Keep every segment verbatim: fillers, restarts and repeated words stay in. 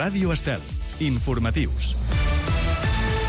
Ràdio Estel. Informatius.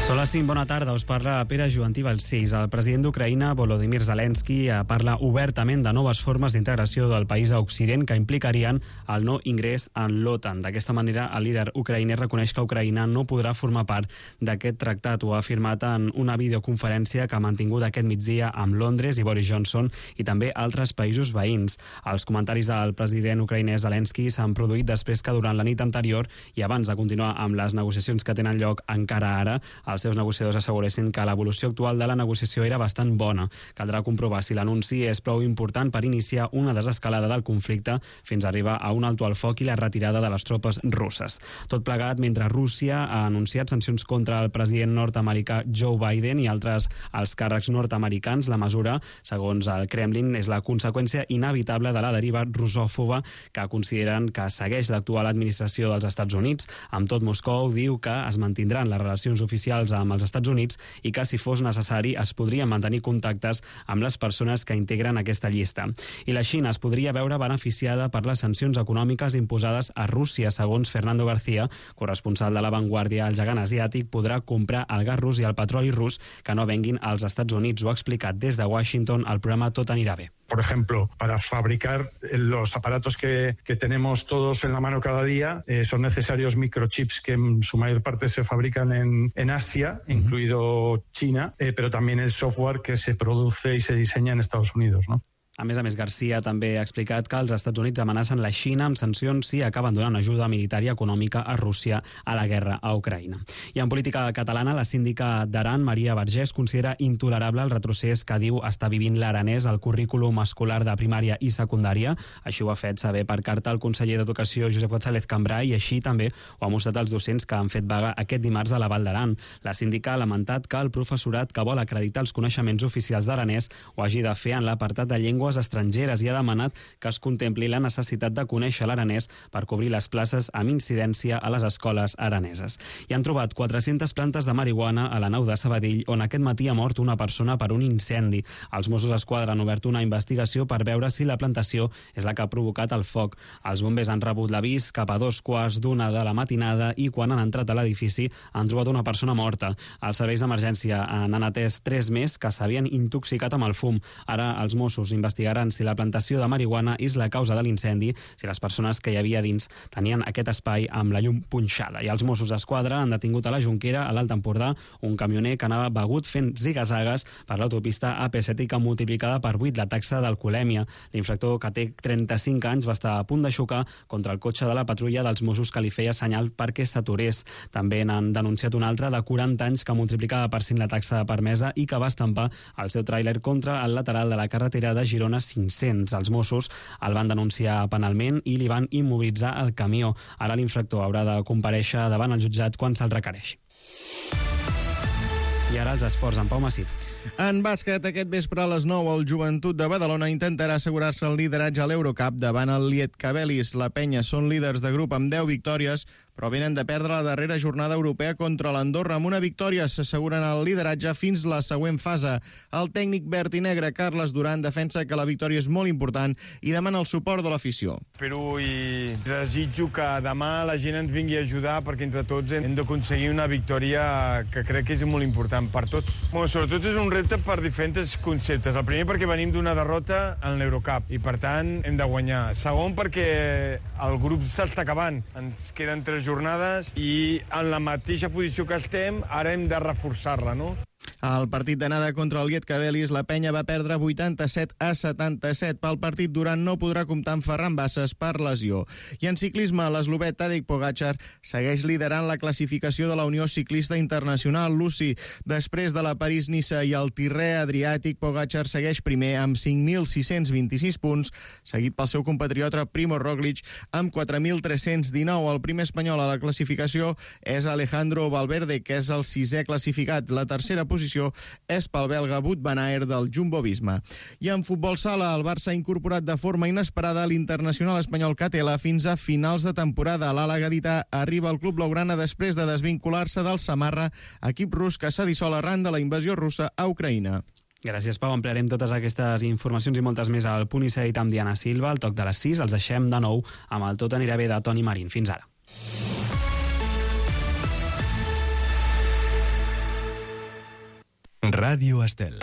Són les cinc, bona tarda, us parla Pere Joantí Balcells. El president d'Ucraïna, Volodymyr Zelensky, parla obertament de noves formes d'integració del país a Occident que implicarien el no ingrés en l'OTAN. D'aquesta manera, el líder ucraïner reconeix que Ucraïna no podrà formar part d'aquest tractat. Ho ha afirmat en una videoconferència que ha mantingut aquest migdia amb Londres i Boris Johnson i també altres països veïns. Els comentaris del president ucraïner Zelensky s'han produït després que durant la nit anterior i abans de continuar amb les negociacions que tenen lloc encara ara, els seus negociadors asseguressin que l'evolució actual de la negociació era bastant bona. Caldrà comprovar si l'anunci és prou important per iniciar una desescalada del conflicte fins a arribar a un alto al foc i la retirada de les tropes russes. Tot plegat mentre Rússia ha anunciat sancions contra el president nord-americà Joe Biden i altres alts càrrecs nord-americans. La mesura, segons el Kremlin, és la conseqüència inevitable de la deriva russòfoba que consideren que segueix l'actual administració dels Estats Units. Amb tot, Moscou diu que es mantindran les relacions oficials amb els Estats Units i que, si fos necessari, es podrien mantenir contactes amb les persones que integren aquesta llista. I la Xina es podria veure beneficiada per les sancions econòmiques imposades a Rússia. Segons Fernando García, corresponsal de La Vanguardia, el gegant asiàtic podrà comprar el gas rus i el petroli rus que no venguin als Estats Units. Ho ha explicat des de Washington al programa Tot anirà bé. Por ejemplo, para fabricar los aparatos que, que tenemos todos en la mano cada día, eh, son necesarios microchips que en su mayor parte se fabrican en, en Asia, uh-huh. incluido China, eh, pero también el software que se produce y se diseña en Estados Unidos, ¿no? A més a més, García també ha explicat que els Estats Units amenacen la Xina amb sancions si acaben donant ajuda militar i econòmica a Rússia a la guerra a Ucraïna. I en política catalana, la síndica d'Aran, Maria Vergés, considera intolerable el retrocés que diu està vivint l'aranès al currículum escolar de primària i secundària. Així ho ha fet saber per carta el conseller d'Educació, Josep González Cambray, i així també ho ha mostrat als docents que han fet vaga aquest dimarts a la Val d'Aran. La síndica ha lamentat que el professorat que vol acreditar els coneixements oficials d'aranès ho hagi de fer en l'apartat de llengua estrangeres i ha demanat que es contempli la necessitat de conèixer l'aranès per cobrir les places amb incidència a les escoles araneses. I han trobat quatre-centes plantes de marihuana a la nau de Sabadell, on aquest matí ha mort una persona per un incendi. Els Mossos d'Esquadra han obert una investigació per veure si la plantació és la que ha provocat el foc. Els bombers han rebut l'avís cap a dos quarts d'una de la matinada i quan han entrat a l'edifici han trobat una persona morta. Els serveis d'emergència han atès tres més que s'havien intoxicat amb el fum. Ara els Mossos investigaran si la plantació de marihuana és la causa de l'incendi, si les persones que hi havia dins tenien aquest espai amb la llum punxada. I els Mossos d'Esquadra han detingut a la Jonquera, a l'Alt Empordà, un camioner que anava begut fent ziga-zagues per l'autopista A P set i que multiplicada per vuit la taxa d'alcoholèmia. L'infractor, que té trenta-cinc anys, va estar a punt de xocar contra el cotxe de la patrulla dels Mossos que li feia senyal perquè s'aturés. També n'han denunciat un altre de quaranta anys que multiplicava per cinc la taxa permesa i que va estampar el seu tràiler contra el lateral de la carretera de Girona cinc-cents. Els Mossos el van denunciar penalment i li van immobilitzar el camió. Ara l'infractor haurà de comparèixer davant el jutjat quan se'l requereixi. I ara els esports, en Pau Massip. En bàsquet, aquest vespre a les nou, el Joventut de Badalona intentarà assegurar-se el lideratge a l'Eurocup davant el Lietkabelis. La penya són líders de grup amb deu victòries, però venen de perdre la darrera jornada europea contra l'Andorra. Amb una victòria s'asseguren el lideratge fins la següent fase. El tècnic verd i negre, Carles Duran, defensa que la victòria és molt important i demana el suport de l'afició. Espero i desitjo que demà la gent ens vingui a ajudar perquè entre tots hem d'aconseguir una victòria que crec que és molt important per tots. Bueno, sobretot és un repte per diferents conceptes. El primer perquè venim d'una derrota en l'Eurocup i per tant hem de guanyar. Segon perquè el grup s'està acabant. Ens queden tres jornades i en la mateixa posició que estem ara hem de reforçar-la, no? Al partit d'anada contra el Lietkabelis, la penya va perdre vuitanta-set a setanta-set. Pel partit, Duran no podrà comptar amb Ferran Bassas per lesió. I en ciclisme, l'eslovè Tadej Pogačar segueix liderant la classificació de la Unió Ciclista Internacional, l'U C I. Després de la París-Niça i el Tirrè Adriàtic, Pogačar segueix primer amb cinc mil sis-cents vint-i-sis punts, seguit pel seu compatriota Primo Roglic amb quatre mil tres-cents dinou. El primer espanyol a la classificació és Alejandro Valverde, que és el sisè classificat. La tercera posició posició és pel belga Wout van Aert del Jumbo-Visma. I en futbol sala, el Barça ha incorporat de forma inesperada l'internacional espanyol Catela fins a finals de temporada. L'ala gadità arriba al club blaugrana després de desvincular-se del Samarra, equip rus que s'ha dissolt arran de la invasió russa a Ucraïna. Gràcies, Pau. Ampliarem totes aquestes informacions i moltes més al Punt i Seguit amb Diana Silva. Al toc de les sis els deixem de nou amb el Tot anirà bé de Toni Marín. Fins ara. Ràdio Estel.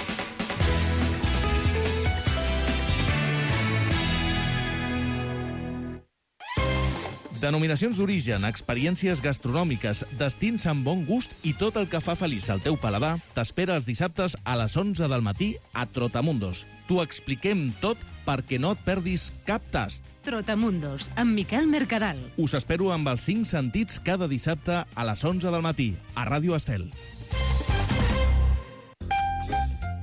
Denominacions d'origen, experiències gastronòmiques, destins amb bon gust i tot el que fa feliç al teu paladar t'espera els dissabtes a les onze del matí a Trotamundos. T'ho expliquem tot perquè no et perdis cap tast. Trotamundos, amb Miquel Mercadal. Us espero amb els cinc sentits cada dissabte a les onze del matí a Ràdio Estel.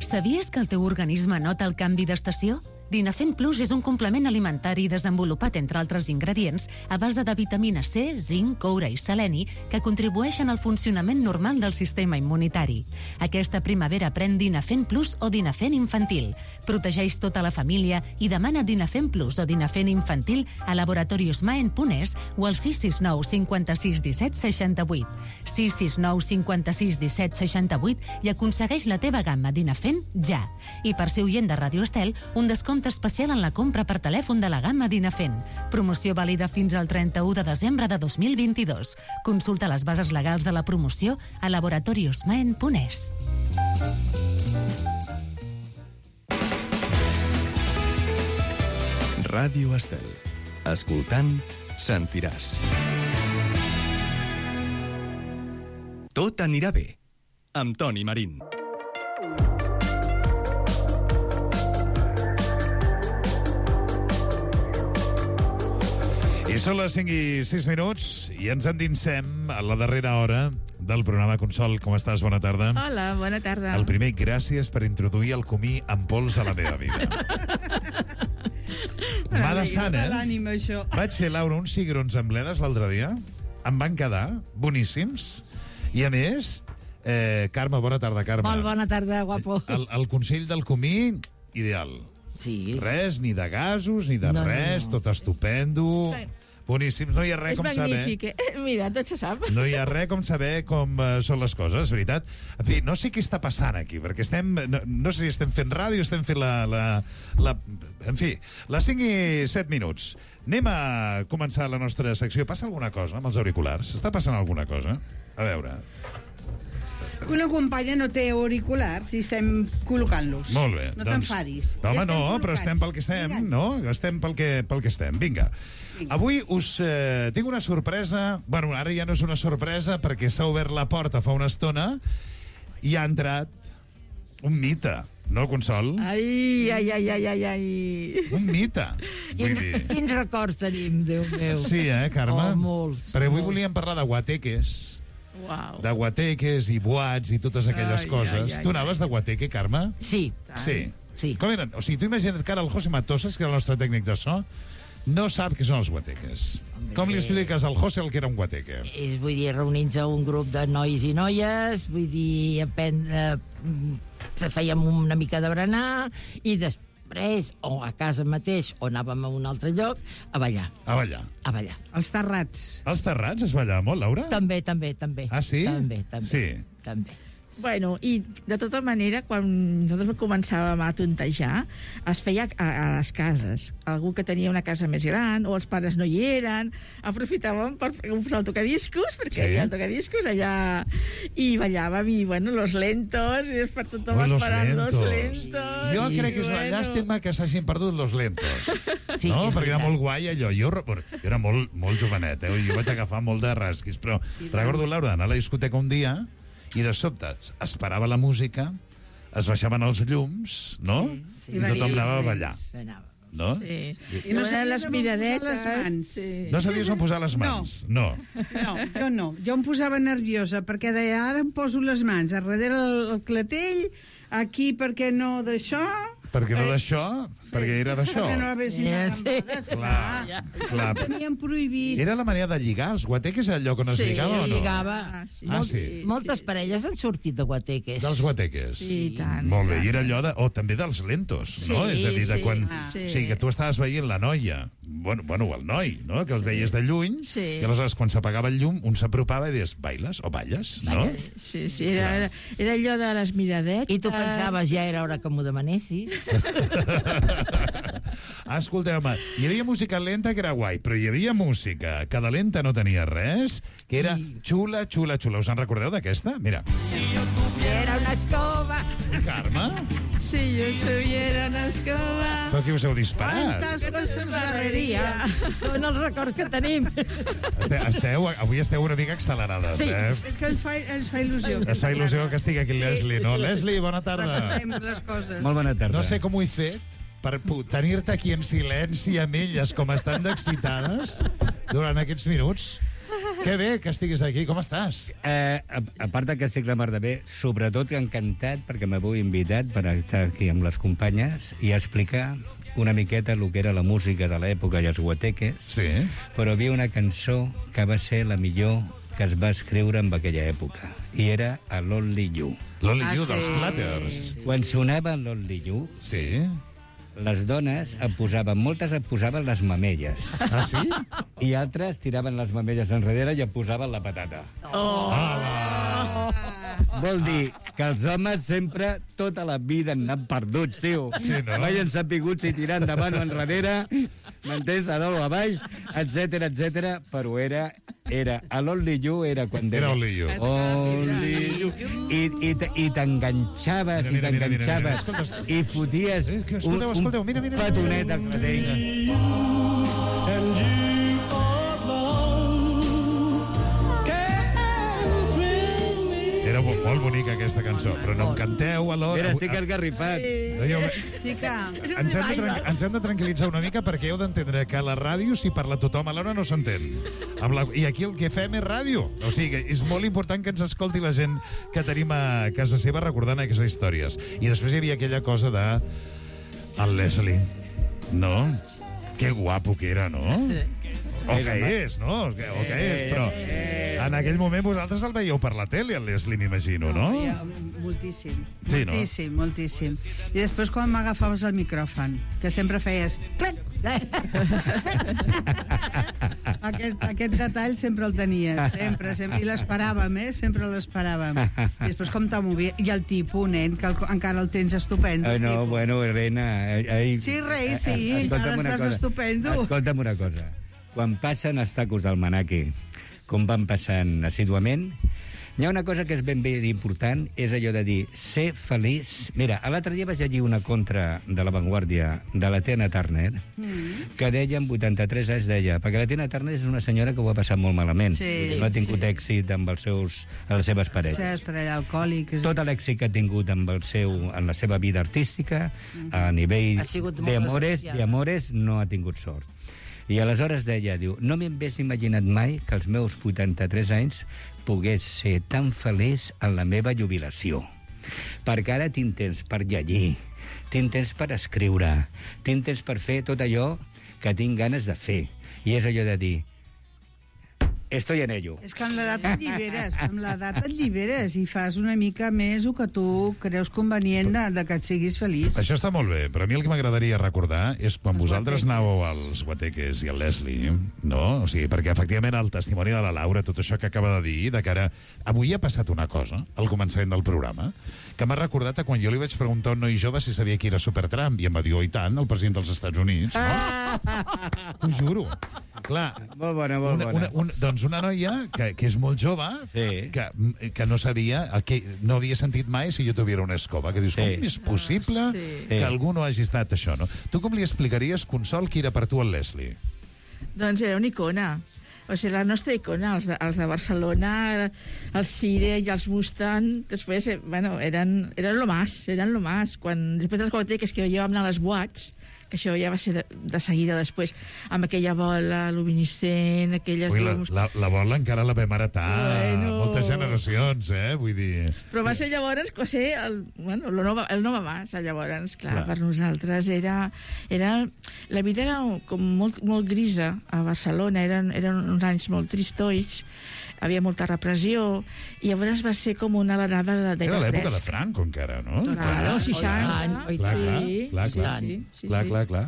Sabies que el teu organisme nota el canvi d'estació? Dinafent Plus és un complement alimentari desenvolupat, entre altres ingredients, a base de vitamina C, zinc, coure i seleni, que contribueixen al funcionament normal del sistema immunitari. Aquesta primavera pren Dinafent Plus o Dinafent Infantil. Protegeix tota la família i demana Dinafent Plus o Dinafent Infantil a laboratorios maen punt es o al sis sis nou cinquanta-sis disset seixanta-vuit. sis sis nou cinquanta-sis disset seixanta-vuit i aconsegueix la teva gamma Dinafent ja. I per ser oient de Ràdio Estel, un descompte especial en la compra per telèfon de la gamma Dinafent. Promoció vàlida fins al trenta-u de desembre de dos mil vint-i-dos. Consulta les bases legals de la promoció a laboratorios maen punt es. Ràdio Estel. Escoltant, sentiràs. Tot anirà bé. Amb Toni Marín. I són les cinc i sis minuts i ens endinsem a la darrera hora del programa. Consol, com estàs? Bona tarda. Hola, bona tarda. El primer, gràcies per introduir el comí amb pols a la meva vida. M'ha de sant, eh? L'ànima, això. Vaig fer, Laura, uns cigrons amb bledes l'altre dia. Em van quedar boníssims. I, a més, eh, Carme, bona tarda, Carme. Molt bona tarda, guapo. El, el consell del comí, ideal. Sí. Res, ni de gasos, ni de No, no, res, no. tot estupendo. És Boníssims, no hi ha res És com magnífic, saber... eh? Mira, tot se sap. No hi ha res com saber com uh, són les coses, veritat. En fi, no sé què està passant aquí, perquè estem... No, no sé si estem fent ràdio, estem fent la... la, la en fi, les cinc i set minuts. Anem a començar la nostra secció. Passa alguna cosa amb els auriculars? Està passant alguna cosa? A veure... Una companya no té auriculars i estem col·locant-los. Molt bé. No doncs... t'enfadis. No, home, Ja no, estem però estem pel que estem, Vinga. no? Estem pel que, pel que estem. Vinga. Vinga. Avui us eh, tinc una sorpresa. Bueno, ara ja no és una sorpresa perquè s'ha obert la porta fa una estona i ha entrat un mite. No, Consol? Ai, ai, ai, ai, ai, ai. Un mite. Vull dir... Quins records tenim, Déu meu. Sí, eh, Carme? Oh, molts. Perquè avui molts. volíem parlar de guateques. Uau. De guateques i boats i totes aquelles Ai, coses. ai, ai, tu anaves ai. de guateque, Carme? Sí. Sí. Sí. Com eren? O sigui, tu imagina't que ara el José Matosas, que era el nostre tècnic de so, no sap què són els guateques. Home, Com li bé. expliques al José el que era un guateque? És, vull dir, reunir-nos a un grup de nois i noies, vull dir, aprendre... mm, fèiem una mica de berenar i després, o a casa mateix, o anàvem a un altre lloc, a ballar. A ballar. A ballar. Els terrats. Els terrats es ballava molt, Laura? També, també, també. Ah, sí? També, també. Sí. També. Bueno, i de tota manera, quan nosaltres començàvem a tontejar, es feia a, a les cases. Algú que tenia una casa més gran, o els pares no hi eren, aprofitàvem per posar el tocadiscos, perquè Sí. hi havia el tocadiscos allà, i ballàvem, i bueno, los lentos, i per tothom Ui, los esperant lentos. los lentos. Jo i crec que és una bueno. llàstima que s'hagin perdut los lentos. Sí, no? és Perquè era veritat. molt guai allò. Jo, re- jo era molt, molt jovenet, eh? Jo vaig agafar molt de rasquis, però recordo, Laura, d'anar a la discoteca un dia i de sobte es parava la música, es baixaven els llums, no? Sí, I tothom sí, anava a sí. ballar, Anava. no? Sí. I no I sabies les on posar miradetes. les mans. Sí. No sabies on posar les mans? No. No, jo no. Jo em posava nerviosa perquè deia, ara em poso les mans a darrere el, el clatell, aquí perquè no d'això... Perquè no d'això, perquè era d'això. Perquè no haguessin Sí, arrambades, sí. clar. Clar. Tenien prohibit. Era la manera de lligar. Els guateques era el lloc on es Sí, lligava o no? lligava. Ah, sí. Ah, sí. Moltes parelles han sortit de guateques. Dels guateques. Sí, i tant. Molt bé, i i era tant. allò de... O també dels lentos, no? Sí, És a dir, de sí, quan... sí. O sigui, que tu estaves veient la noia, bueno, bueno el noi, no? Que els veies de lluny, Sí. i aleshores quan s'apagava el llum, un s'apropava i deies, bailes o balles, no? Sí, sí, era, era, era allò de les miradetes. I tu pensaves, ja era hora que m'ho demanessis. Ah, escolteu-me, hi havia música lenta que era guai, però hi havia música que de lenta no tenia res, que era xula, xula, xula. Us en recordeu d'aquesta? Mira. Era una escoba Carme? Si yo tuviera una escoba... Però qui us heu disparat? Quantes coses barreria. Són els records que tenim. Este, esteu, avui esteu una mica accelerades, Sí. eh? És que ens fa, ens fa il·lusió. Es fa il·lusió que estigui aquí el Leslie, no? Leslie, bona tarda. Recordem les coses. Molt bona tarda. No sé com ho he fet per pu- tenir-te aquí en silenci amb elles com estan d'excitades durant aquests minuts. Que bé que estiguis aquí, com estàs? Eh, a, a part de que estic la mar de bé, sobretot encantat perquè m'heu invitat per estar aquí amb les companyes i explicar una miqueta el que era la música de l'època i els guateques. Sí. Però hi havia una cançó que va ser la millor que es va escriure en aquella època, i era a l'Only You. L'Only Ah, You sí. dels Platters. Quan sonava l'Only You, Sí. les dones em posaven, moltes em posaven les mamelles. Ah, sí? I altres tiraven les mamelles enrere i em posaven la patata. Oh. Vol dir que els homes sempre, tota la vida, han anat perduts, tio. Sí, no? Mai han sabut si tirar endavant o enrere, m'entens, a dalt o a baix, etcètera, etcètera, però era, era, a l'Only You era quan deia... Era Only You. Only You. I, i, t- i t'enganxaves, i Mira, mira, mira, mira, mira. t'enganxaves, Escolta, i foties Eh, que un, escolteu, escolteu, mira, mira, un mira. petonet al clatell. Era bo- molt bonica aquesta cançó, però no em canteu alhora. Mira, estic esgarrifat. Jo, Sí que... ens, hem de tran- ens hem de tranquil·litzar una mica perquè heu d'entendre que a la ràdio, si parla tothom alhora, no s'entén. Amb la... I aquí el que fem és ràdio. O sigui, és molt important que ens escolti la gent que tenim a casa seva recordant aquestes històries. I després hi havia aquella cosa de... El Leslie. No? Que guapo que era, no? O que és, no? O que, o que és, però... En aquell moment vosaltres el veieu per la tele, el Leslie, m'imagino, no? Ja, moltíssim. Sí, no? Moltíssim, moltíssim. I després quan m'agafaves el micròfon, que sempre feies... Clic! aquest, aquest detall sempre el tenies, sempre, sempre. I l'esperàvem, eh? Sempre l'esperàvem. I després com te movia... I el tipus, nen, que el, encara el tens estupendo. Ai, no, tipus. bueno, Elena... Ai, Sí, rei, sí, escolta'm encara una estàs cosa. estupendo. Escolta'm una cosa. Quan passen els tacos del Manaki, com van passant assíduament, hi ha una cosa que és ben bé important, és allò de dir, ser feliç... Mira, a l'altre dia vaig llegir una contra de La Vanguardia de la Tina Turner, Mm. que deia, amb vuitanta-tres anys, deia, perquè la Tina Turner és una senyora que ho ha passat molt malament. Sí, no ha tingut sí. èxit amb els seus, amb les seves parelles. Sí, per allà, alcohòlic. És... Tot l'èxit que ha tingut amb el seu, en la seva vida artística, a nivell Ha sigut molt d'amores, desgraciada. d'amores, no ha tingut sort. I aleshores deia, diu, no m'hagués imaginat mai que als meus vuitanta-tres anys pogués ser tan feliç en la meva jubilació. Perquè ara tinc temps per llegir, tinc temps per escriure, tinc temps per fer tot allò que tinc ganes de fer. I és allò de dir, estoy en ello. És que amb l'edat et lliberes, amb l'edat et lliberes i fas una mica més el que tu creus convenient de, de que et siguis feliç. Això està molt bé, però a mi el que m'agradaria recordar és quan vosaltres anàveu als Guateques i al Leslie, no? O sigui, perquè efectivament el testimoni de la Laura, tot això que acaba de dir, de cara... Avui ha passat una cosa, al començament del programa, que m'ha recordat a quan jo li vaig preguntar a un noi jove si sabia qui era Supertramp, i em va dir, oh, i tant, el president dels Estats Units, no? T'ho juro. Clar, Molt bona, molt una, bona. una, una, doncs una noia que, que és molt jove, Sí. que, que no sabia, que no havia sentit mai si jo tuviera una escoba, que dius, Sí. com és possible Sí. que Sí. algú no hagi estat això, no? Tu com li explicaries, Consol, qui era per tu el Leslie? Doncs era una icona. O sigui, la nostra icona, els de, els de Barcelona, el Cire i els Mustang, després, eh, bueno, eren, eren lo más, eren lo más. Quan, després de les Guateques que jo vam anar a les boats, que això ja va ser de, de seguida després, amb aquella bola luminiscent, aquelles Ui, la, llums... la, la bola encara la vam heretar Bueno. moltes generacions, eh? Vull dir... Però va ser llavors, va ser el, bueno, el, nova, el nova massa, llavors, clar, Clar. clar, per nosaltres era, era... La vida era com molt, molt grisa a Barcelona, eren, eren uns anys molt tristos, havia molta repressió, i llavors va ser com una alenada de, de Era l'època de fresc. Franco, encara, no? Claro, seixanta. Oi, Clar, clar, sí, clar, sí, clar, sí, sí, clar, sí. clar, clar.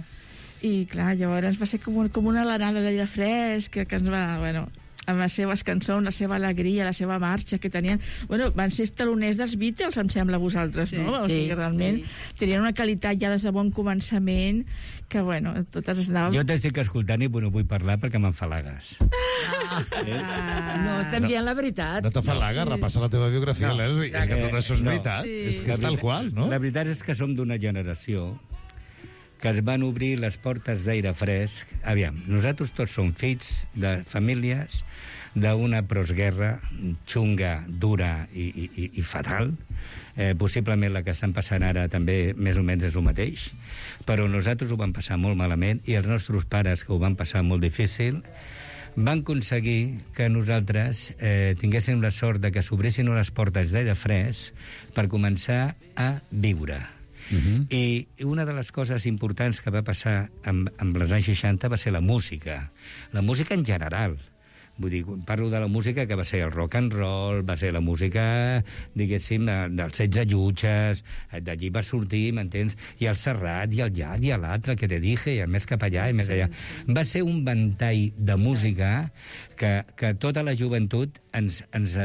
I clar, llavors va ser com, un, com una alenada d'aire fresc que, que ens va... Bueno, amb les seves cançons, la seva alegria, la seva marxa que tenien. Bueno, van ser taloners dels Beatles, em sembla, vosaltres, Sí, no? O sí, sigui, realment sí. tenien una qualitat ja des de bon començament que, bueno, totes es anàvem... Jo t'estic escoltant i no vull parlar perquè m'enfalagues. Ah. No, estem dient la veritat. No t'afalagues, Sí. repassa la teva biografia, No. Leslie. És que tot això és No. veritat. Sí. És que és tal qual, no? La veritat és que som d'una generació que es van obrir les portes d'aire fresc. Aviam, nosaltres tots som fills de famílies d'una postguerra xunga, dura i, i, i fatal. Eh, possiblement la que estan passant ara també més o menys és el mateix, però nosaltres ho vam passar molt malament i els nostres pares, que ho van passar molt difícil, van aconseguir que nosaltres eh, tinguéssim la sort de que s'obrissin unes portes d'aire fresc per començar a viure. Uh-huh. I una de les coses importants que va passar amb, amb els anys seixanta va ser la música. La música en general. Vull dir, parlo de la música que va ser el rock and roll, va ser la música, diguéssim, dels setze llutges, d'allí va sortir, m'entens? I el Serrat, i el Llac, i l'altre, que te dije, i el més cap allà, i més allà. Va ser un ventall de música que, que tota la joventut ens, ens,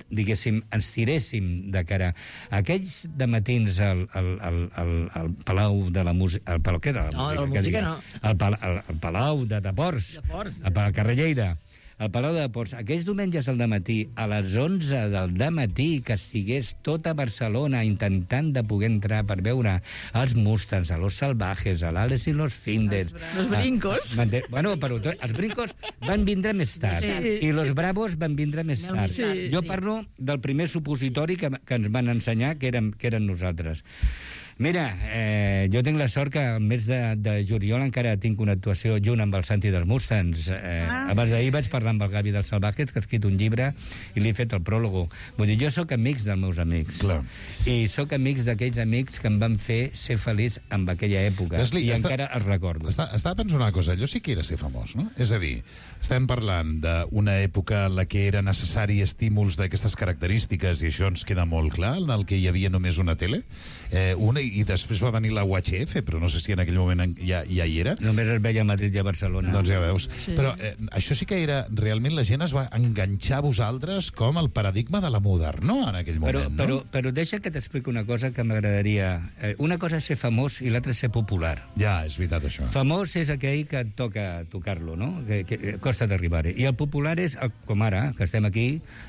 diguéssim, ens tiréssim de cara. Aquells de matins al, al, al, al, al Palau de la Música... El Palau, què de la No, música? de la música no. El, pal, el, el Palau de Deports, De Ports. al, al carrer Lleida, al Palau de Deports, aquells diumenges al dematí, a les onze del dematí, que estigués tota Barcelona intentant de poder entrar per veure els Mustangs, a los Salvajes, a l'Ales i los Finders... Los Brincos. A, a, bueno, però to, els Brincos van vindre més tard, Sí. i los Bravos van vindre més tard. Sí. Jo parlo del primer supositori que, que ens van ensenyar, que érem, que eren nosaltres. Mira, eh, jo tinc la sort que al mes de, de juliol encara tinc una actuació junt amb el Santi dels Mustangs. Eh, Ah. Abans d'ahir vaig parlar amb el Gavi dels Salvajes, que ha escrit un llibre, i li he fet el pròlogo. Vull dir, jo sóc amics dels meus amics. Clar. I sóc amics d'aquells amics que em van fer ser feliç en aquella època. Leslie, I està- encara els recordo. Està, estava pensant una cosa, allò sí que era ser famós, no? És a dir, estem parlant d'una època en la que era necessari estímuls d'aquestes característiques, i això ens queda molt clar, en el que hi havia només una tele, eh, una, i després va venir la U H F, però no sé si en aquell moment en- ja, ja hi era. Només es veia a Madrid i a Barcelona. Doncs ja veus. Sí. Però eh, això sí que era... Realment la gent es va enganxar a vosaltres com el paradigma de la modernor en aquell Però, moment, no? però, però deixa que t'expliqui una cosa que m'agradaria. Eh, una cosa és ser famós i l'altra és ser popular. Ja, és veritat, això. Famós és aquell que et toca tocar-lo, no? Que, que costa d'arribar-hi. I el popular és, el- com ara, que estem aquí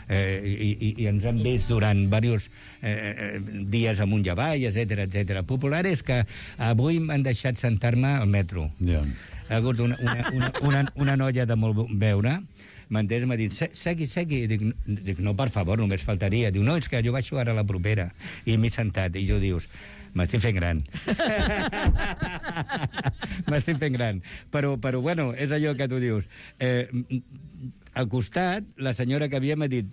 eh, i, i, i ens hem vist durant diversos eh, dies amunt i avall, etcètera, etcètera. Popular és que avui m'han deixat sentar-me al metro. Ja. Ha hagut una, una, una, una, una noia de molt veure, m'entens? M'ha dit, "Se- segui, segui. I dic, dic, no, per favor, només faltaria. Diu, no, és que jo baixo ara a la propera. I m'he sentat. I jo dius, m'estic fent gran. M'estic fent gran. Però, però, bueno, és allò que tu dius. Eh, al costat, la senyora que havia m'ha dit,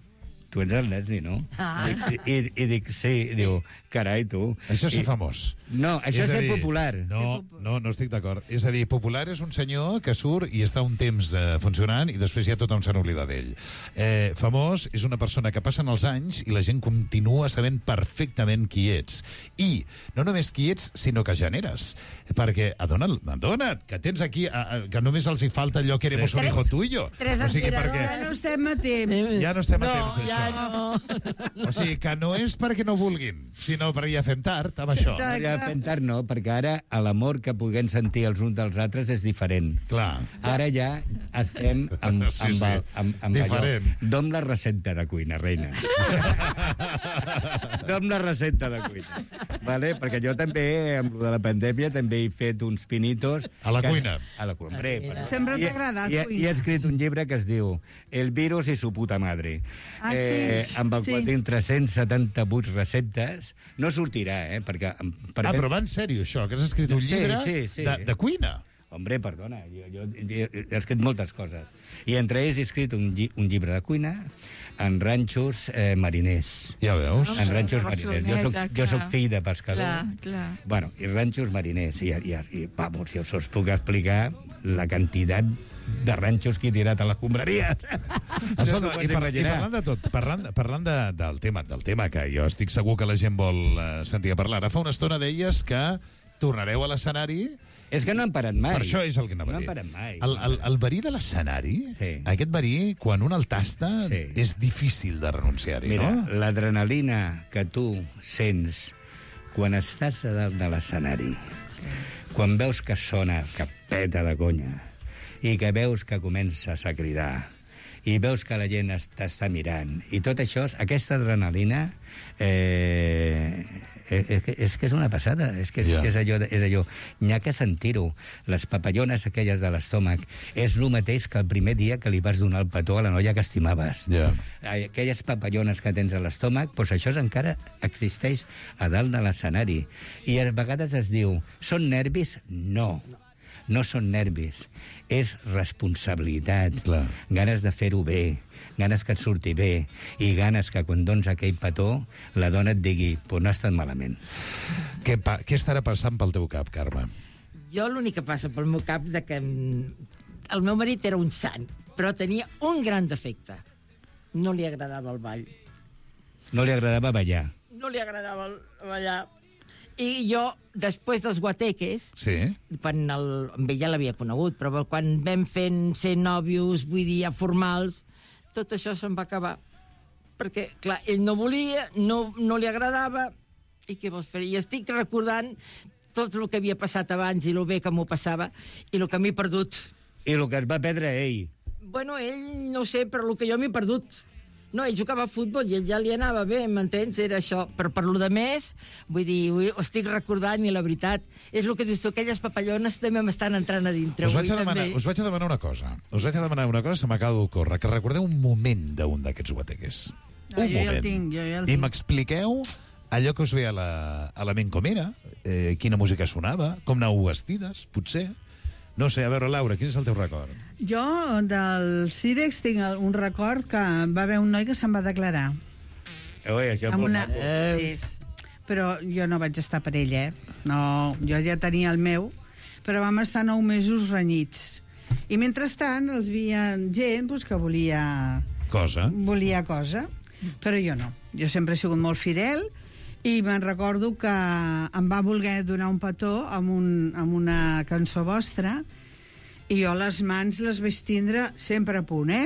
tu ets el Leslie, no? Ah. I, i, I dic, sí. I diu, carai, tu. Això és ser I, famós. No, això és, a ser dir, popular. No, no, no estic d'acord. És a dir, popular és un senyor que surt i està un temps eh, funcionant i després ja tothom se n'oblida d'ell. Eh, famós és una persona que passen els anys i la gent continua sabent perfectament qui ets. I no només qui ets, sinó que generes. Perquè, adona't, adona't, que tens aquí, a, a, que només els hi falta allò que éramos un hijo tuyo. Tres o sigui, aspiradores. perquè Ja no estem a temps. ja no estem a No, temps d'això. ja no. O sigui, que no és perquè no vulguin, sinó perquè ja fem tard amb això. Exacte. Ja fent tard no, perquè ara l'amor que puguem sentir els uns dels altres és diferent. Clar. Ara ja estem amb, Sí, amb, sí. el, amb, amb Diferent. allò. Dom la recepta de cuina, reina. Dom la recepta de cuina. Vale? Perquè jo també, amb lo de la pandèmia, també he fet uns pinitos... A la que- cuina. A la cuina. Hombre, però- Sempre I- t'ha agradat i, cuinar. I he escrit un llibre que es diu El virus i su puta madre. Ah, sí? Eh, amb el Sí. qual tinc tres-cents setanta-vuit receptes. No sortirà, eh? Perquè, per Ah, però va en sèrio, això, que has escrit un Sí, llibre sí, sí. De, de cuina. Hombre, perdona, jo, jo, jo he escrit moltes coses. I entre ells he escrit un, lli un llibre de cuina en ranxos eh, mariners. Ja veus? En ranxos de mariners. Jo soc, Barceloneta, jo soc clar. fill de pescador. Clar, clar. Bueno, i ranxos mariners. I, i, i vamos, si us puc explicar la quantitat de ranxos que he tirat a les escombraries. Escolta, No i, t'ho par pots i imaginar. parlant de tot, parlant, parlant de, del, tema, del tema que jo estic segur que la gent vol eh, sentir a parlar. Ara fa una estona deies que tornareu a l'escenari... És que no han parat mai. Per això és el que anava no a dir. No han parat mai. El, el, el verí de l'escenari, sí. aquest verí, quan un el tasta, sí. és difícil de renunciar-hi, Mira, no? Mira, l'adrenalina que tu sents quan estàs a dalt de l'escenari, sí. quan veus que sona, que peta de conya, i que veus que comences a cridar, i veus que la gent t'està mirant, i tot això, aquesta adrenalina... Eh... És que, és que és una passada, és que és, yeah. és allò, és allò. N'hi ha que sentir-ho. Les papallones aquelles de l'estómac és el mateix que el primer dia que li vas donar el petó a la noia que estimaves. Yeah. Aquelles papallones que tens a l'estómac, doncs això encara existeix a dalt de l'escenari. I a vegades es diu, són nervis? No. No són nervis. És responsabilitat. Clar. Ganes de fer-ho bé, ganes que et surti bé, i ganes que quan dones aquell petó la dona et digui, pues no ha estat malament. Què, pa què estarà passant pel teu cap, Carme? Jo l'únic que passa pel meu cap de que el meu marit era un sant, però tenia un gran defecte. No li agradava el ball. No li agradava ballar. No li agradava el ballar. I jo, després dels guateques, sí. quan el, amb ell ja l'havia conegut, però quan vam fent ser nòvios, vull dir, ja formals, tot això se'n va acabar. Perquè, clar, ell no volia, no, no li agradava, i què vols fer? I estic recordant tot el que havia passat abans i el bé que m'ho passava i el que m'he perdut. I el que es va perdre ell. Bueno, ell, no sé, però el que jo m'he perdut. No, ell jugava a futbol i ell ja li anava bé, m'entens? Era això. Però per lo de més, vull dir, ho estic recordant i la veritat, és el que dius tu, aquelles papallones també m'estan entrant a dintre. Us vaig a, demanar, us vaig a demanar una cosa. Us vaig a demanar una cosa que se m'acaba d'ocórrer, que recordeu un moment d'un d'aquests guateques. No, un jo moment. Ja el tinc, jo ja el I tinc. m'expliqueu allò que us ve a la, a la ment com era, eh, quina música sonava, com anàveu vestides, potser... No sé, a veure, Laura, quin és el teu record? Jo, del Cirex, tinc un record que va haver un noi que se'n va declarar. Ui, això és molt una... maco. Sí. Però jo no vaig estar per ell, eh? No, jo ja tenia el meu, però vam estar nou mesos renyits. I mentrestant els veia gent pues, que volia... Cosa. Volia cosa, però jo no. Jo sempre he sigut molt fidel i me'n recordo que em va voler donar un petó amb, un, amb una cançó vostra i jo les mans les vaig tindre sempre a punt, eh?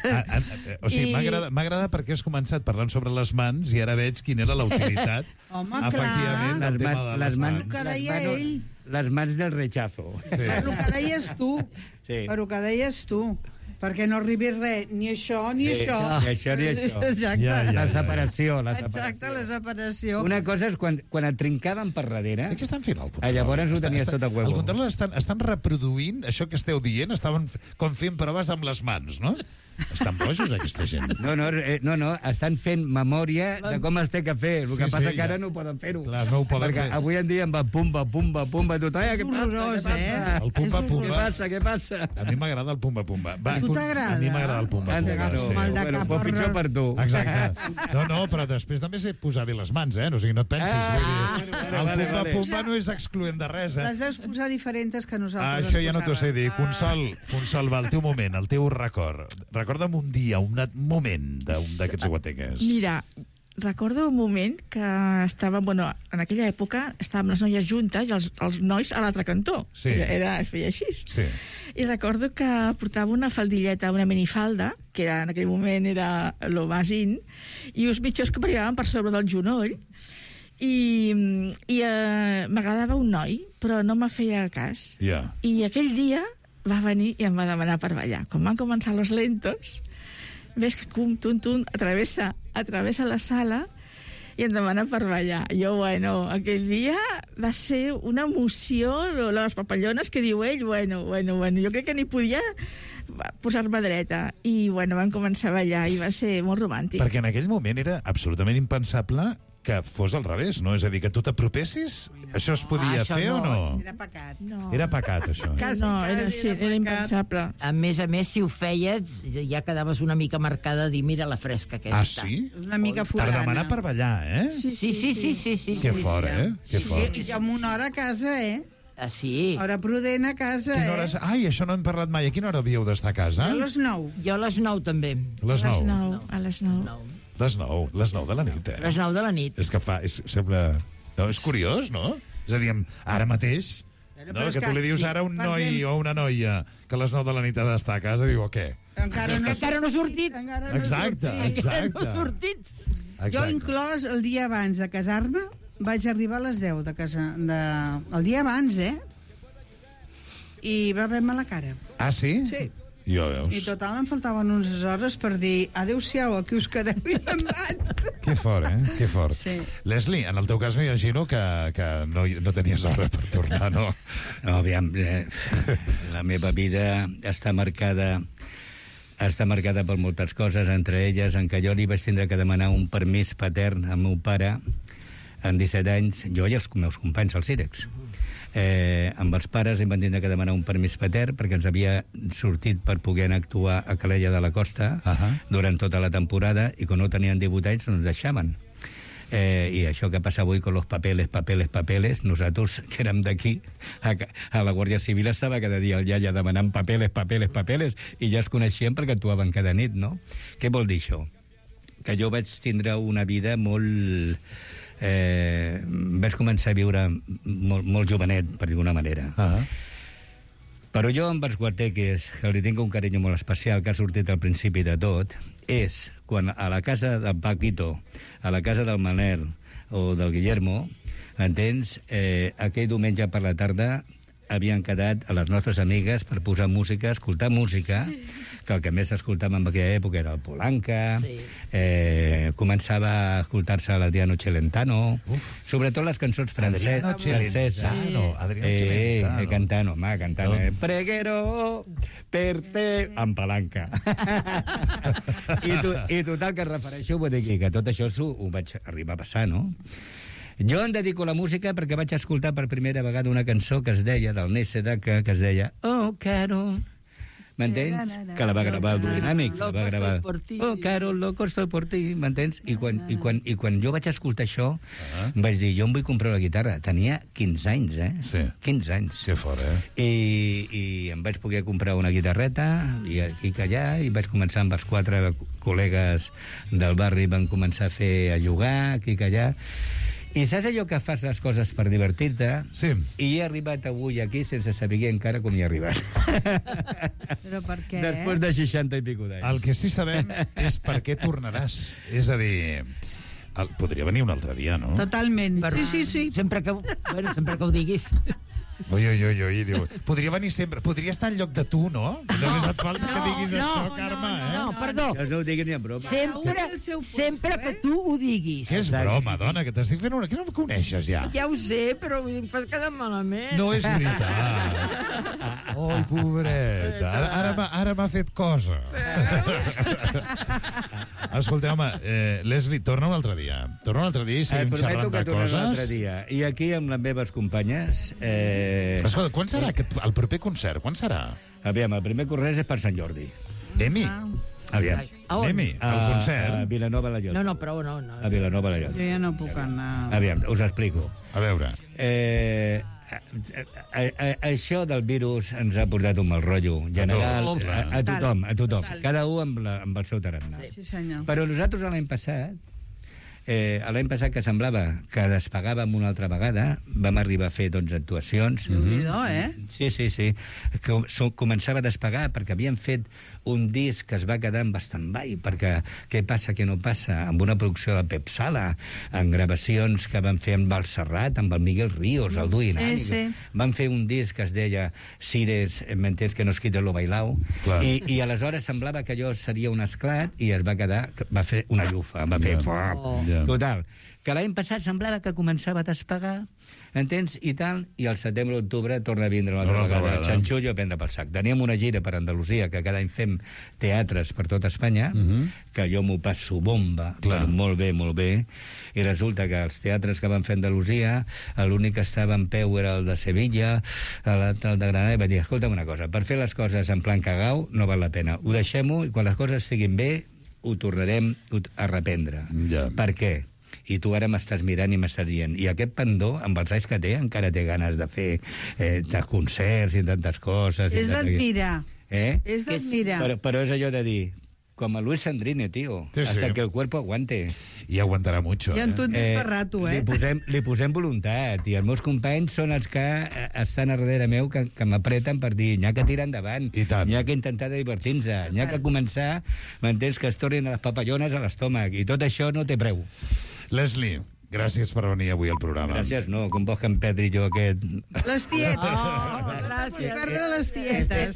A, a, a, o sigui, I... m'ha agradat perquè has començat parlant sobre les mans i ara veig quina era la utilitat. Home, efectivament, clar. El tema de les, les mans. El que deia les ell. Les mans del rechazo. Sí. Per el que deies tu. Sí. Per el que deies tu. Perquè no arribi res, ni això, ni sí, això. Ni això, ni això. Exacte. Ja, ja, la ja, separació, la separació. Exacte, la separació. Una cosa és quan, quan et trincaven per darrere... Què estan fent al control? Ah, llavors ho tenies està, tot a huevo. Al control estan, estan reproduint això que esteu dient, estaven com fent proves amb les mans, no? Estan bojos, aquesta gent. No, no, eh, no, no, estan fent memòria de com es té que fer. El Sí, que passa sí, que ara ja. no ho poden fer-ho. Clar, no ho poden Perquè fer. avui en dia em va pumba, pumba, pumba, tot. Ai, què passa? horrorós, Què passa? eh? El pumba, Què pumba. passa, què passa? A mi m'agrada el pumba-pumba. A tu t'agrada? A mi m'agrada el pumba-pumba. No, Sí. Mal de bueno, cap, però pitjor horror. per tu. Exacte. No, no, però després també sé posar bé les mans, eh? No, o sigui, no et pensis. Ah, vull dir, vale, el vale, vale. pumba-pumba no és excloent de res, eh? Les deus posar diferents que nosaltres Ah, les això ja no t'ho sé posàvem. dir. Consol, Consol, va, el teu moment, el teu record. Recorda'm un dia, un moment d'un d'aquests guateques. Mira, recordo un moment que estava, bueno, en aquella època estàvem les noies juntes i els, els nois a l'altre cantó. Sí. Era, era, es feia així. Sí. I recordo que portava una faldilleta, una minifalda, que era, en aquell moment era lo más in, i uns mitjons que brillaven per sobre del genoll, i, i eh, m'agradava un noi, però no me feia cas. Ja. I aquell dia va venir i em va demanar per ballar. Quan van començar los lentos, ves que cum, tum, tum, atravessa, atravessa la sala i em demana per ballar. Jo, bueno, aquell dia va ser una emoció, les papallones que diu ell, bueno, bueno, bueno, jo crec que ni podia posar-me dreta. I, bueno, vam començar a ballar i va ser molt romàntic. Perquè en aquell moment era absolutament impensable que fos al revés, no? És a dir, que tu t'apropessis, això es podia Ah, això fer no. o no? Era pecat. No. Era pecat, això. Quasi, no, quasi era, sí, era era pecat. impensable. A més a més, si ho feies, ja quedaves una mica marcada a dir, mira la fresca aquesta. Ah, sí? Una mica Per forana. demanar per ballar, eh? Sí, sí, sí, sí, sí, sí. Que sí, fort, sí. eh? Que Sí, fort. I amb una hora a casa, eh? Ah, sí. Hora prudent a casa, Quina hora eh? és? Ai, això no hem parlat mai. A quina hora havíeu d'estar a casa? A les nou. Jo a les nou també. Les A les nou. nou. A les nou. Les nou. Les nou de la nit, A eh? les nou de la nit. És que fa... És, sembla... No, és curiós, no? És a dir, ara mateix, no, que tu li dius ara a un noi o una noia que a les nou de la nit ha d'estar a casa, diu, o què? Encara no, encara no ha sortit. Encara no exacte, sortit. exacte. No ha sortit. Jo, inclòs, el dia abans de casar-me, vaig arribar a les deu de casa. De... El dia abans, eh? I va haver-me la cara. Ah, sí? Sí. Jo, veus. I total em faltaven unes hores per dir adéu-siau, aquí us quedeu i me'n vaig. Que fort, eh? Que fort. Sí. Leslie, en el teu cas m'imagino que, que no, no tenies hora per tornar, no? No, aviam, eh, la meva vida està marcada està marcada per moltes coses, entre elles en què jo li vaig tindre que demanar un permís patern al meu pare en disset anys, jo i els meus companys al Cirex. Eh, amb els pares em van tindre que demanar un permís patern perquè ens havia sortit per poder anar a actuar a Calella de la Costa uh -huh. durant tota la temporada i quan no tenien divuit anys no ens deixaven. Eh, I això que passa avui con los papeles, papeles, papeles, nosaltres que érem d'aquí, a, a la Guàrdia Civil estava cada dia el iaia demanant papeles, papeles, papeles, i ja es coneixien perquè actuaven cada nit, no? Què vol dir això? Que jo vaig tindre una vida molt... Eh, vaig començar a viure molt, molt jovenet, per dir d'una manera. Uh -huh. Però jo amb els guarteques, que li tinc un carinyo molt especial, que ha sortit al principi de tot, és quan a la casa del Paquito, a la casa del Manel o del Guillermo, entens, eh, aquell diumenge per la tarda havien quedat a les nostres amigues per posar música, escoltar música, que el que més escoltàvem en aquella època era el Polanca, sí. eh, començava a escoltar-se l'Adriano Celentano, Uf. sobretot les cançons franceses. Adriano Celentano, Adriano eh, Celentano. Eh, cantano, home, cantano. No. Eh, Preguero per te en Palanca. I, tu, I total, que es refereixo, vull dir que tot això ho, ho vaig arribar a passar, no? Jo em dedico a la música perquè vaig escoltar per primera vegada una cançó que es deia, del Nésseda, que, que es deia Oh, Carol, m'entens? Que la va gravar el Duodinàmic. La va gravar. Oh, Carol, loco estoy por ti, m'entens? I quan, i, quan, I quan jo vaig escoltar això, uh -huh. vaig dir, jo em vull comprar una guitarra. Tenia quinze anys, eh? Sí. quinze anys. Que fort, eh? I, I em vaig poder comprar una guitarreta, i aquí que allà, i vaig començar amb els quatre col·legues del barri, van començar a fer a jugar, aquí que allà. I saps allò que fas les coses per divertir-te? Sí. I he arribat avui aquí sense saber encara com hi he arribat. Però per què? Després de seixanta i pico d'anys. El que sí sabem és per què tornaràs. És a dir, el, podria venir un altre dia, no? Totalment. Però, sí, sí, sí. Sempre que, bueno, sempre que ho diguis. Ui, ui, ui, ui, diu, podria venir sempre, podria estar en lloc de tu, no? Només et falta que diguis no, això, no, Carme, no, eh? No, perdó. Jo no ho diguis ni en broma. Sempre, sempre que tu ho diguis. Què és broma, dona, que t'estic fent una... Que no em coneixes, ja? Ja ho sé, però em fas quedar malament. No és veritat. Oi, pobreta, ara, ara, m'ha- ara m'ha fet cosa. Escolteu, home, eh, Leslie, torna un altre dia. Torna un altre dia i Et seguim prometo xerrant que de tornaré un altre coses. dia. I aquí, amb les meves companyes... Eh... Escolta, quan serà aquest, el proper concert? Quan serà? Aviam, el primer corrès és per Sant Jordi. Emi, Aviam. A on? Emi, el A, concert. a Vilanova la Llosa. No, no, però no. no. A Vilanova la Llosa. Jo ja no puc anar. Aviam, us explico. A veure. Eh, a, a, a, això del virus ens ha portat un mal rotllo general A tots, a, a tothom, a tothom. Total. Cada un amb, la, amb el seu tarannà. Sí, senyor. Però nosaltres l'any passat, eh, l'any passat que semblava que despegàvem una altra vegada, vam arribar a fer dotze actuacions. Déu-n'hi-do, eh? Sí, sí, sí. Que so- començava a despegar perquè havien fet un disc que es va quedar en stand-by perquè què passa, què no passa, amb una producció de Pep Sala, en gravacions que van fer amb el Serrat, amb el Miguel Ríos, el Duinàmic. Sí, sí. Van fer un disc que es deia Cires, m'entens, que no es quita lo bailao. Clar. I, I aleshores semblava que allò seria un esclat i es va quedar, va fer una llufa, va fer... Ja. Oh. Ja. Total, que l'any passat semblava que començava a despegar, entens, i tal, i al setembre-octubre torna a vindre una altra Una altra vegada, vegada. xanxullo a prendre pel sac. Teníem una gira per Andalusia, que cada any fem teatres per tot Espanya, uh -huh. que jo m'ho passo bomba, Clar. però molt bé, molt bé, i resulta que els teatres que van fer a Andalusia, l'únic que estava en peu era el de Sevilla, l'altre el de Granada, i vaig dir, escolta'm una cosa, per fer les coses en plan cagau no val la pena, ho deixem-ho, i quan les coses siguin bé, ho tornarem a reprendre. Ja. Per què? I tu ara m'estàs mirant i m'estàs dient i aquest Pandó, amb els anys que té, encara té ganes de fer eh, de concerts i tantes coses. i És tantes- d'admirar. Eh? És d'admirar. Però, però és allò de dir, com a Luis Sandrine, tio, Sí, sí. hasta que el cuerpo aguante. i aguantarà mucho. I en tu eh? et ves per rato, eh? Li posem, li posem voluntat, i els meus companys són els que eh, estan a darrere meu, que, que m'apreten per dir, n'hi ha que tirar endavant, n'hi ha que intentar divertir-nos, n'hi ha que començar, m'entens, que es tornin a les papallones a l'estómac, i tot això no té preu. Leslie, gràcies per venir avui al programa. Gràcies, no, com vols que em perdri jo aquest... Les tietes. Oh, gràcies. Perdre les tietes.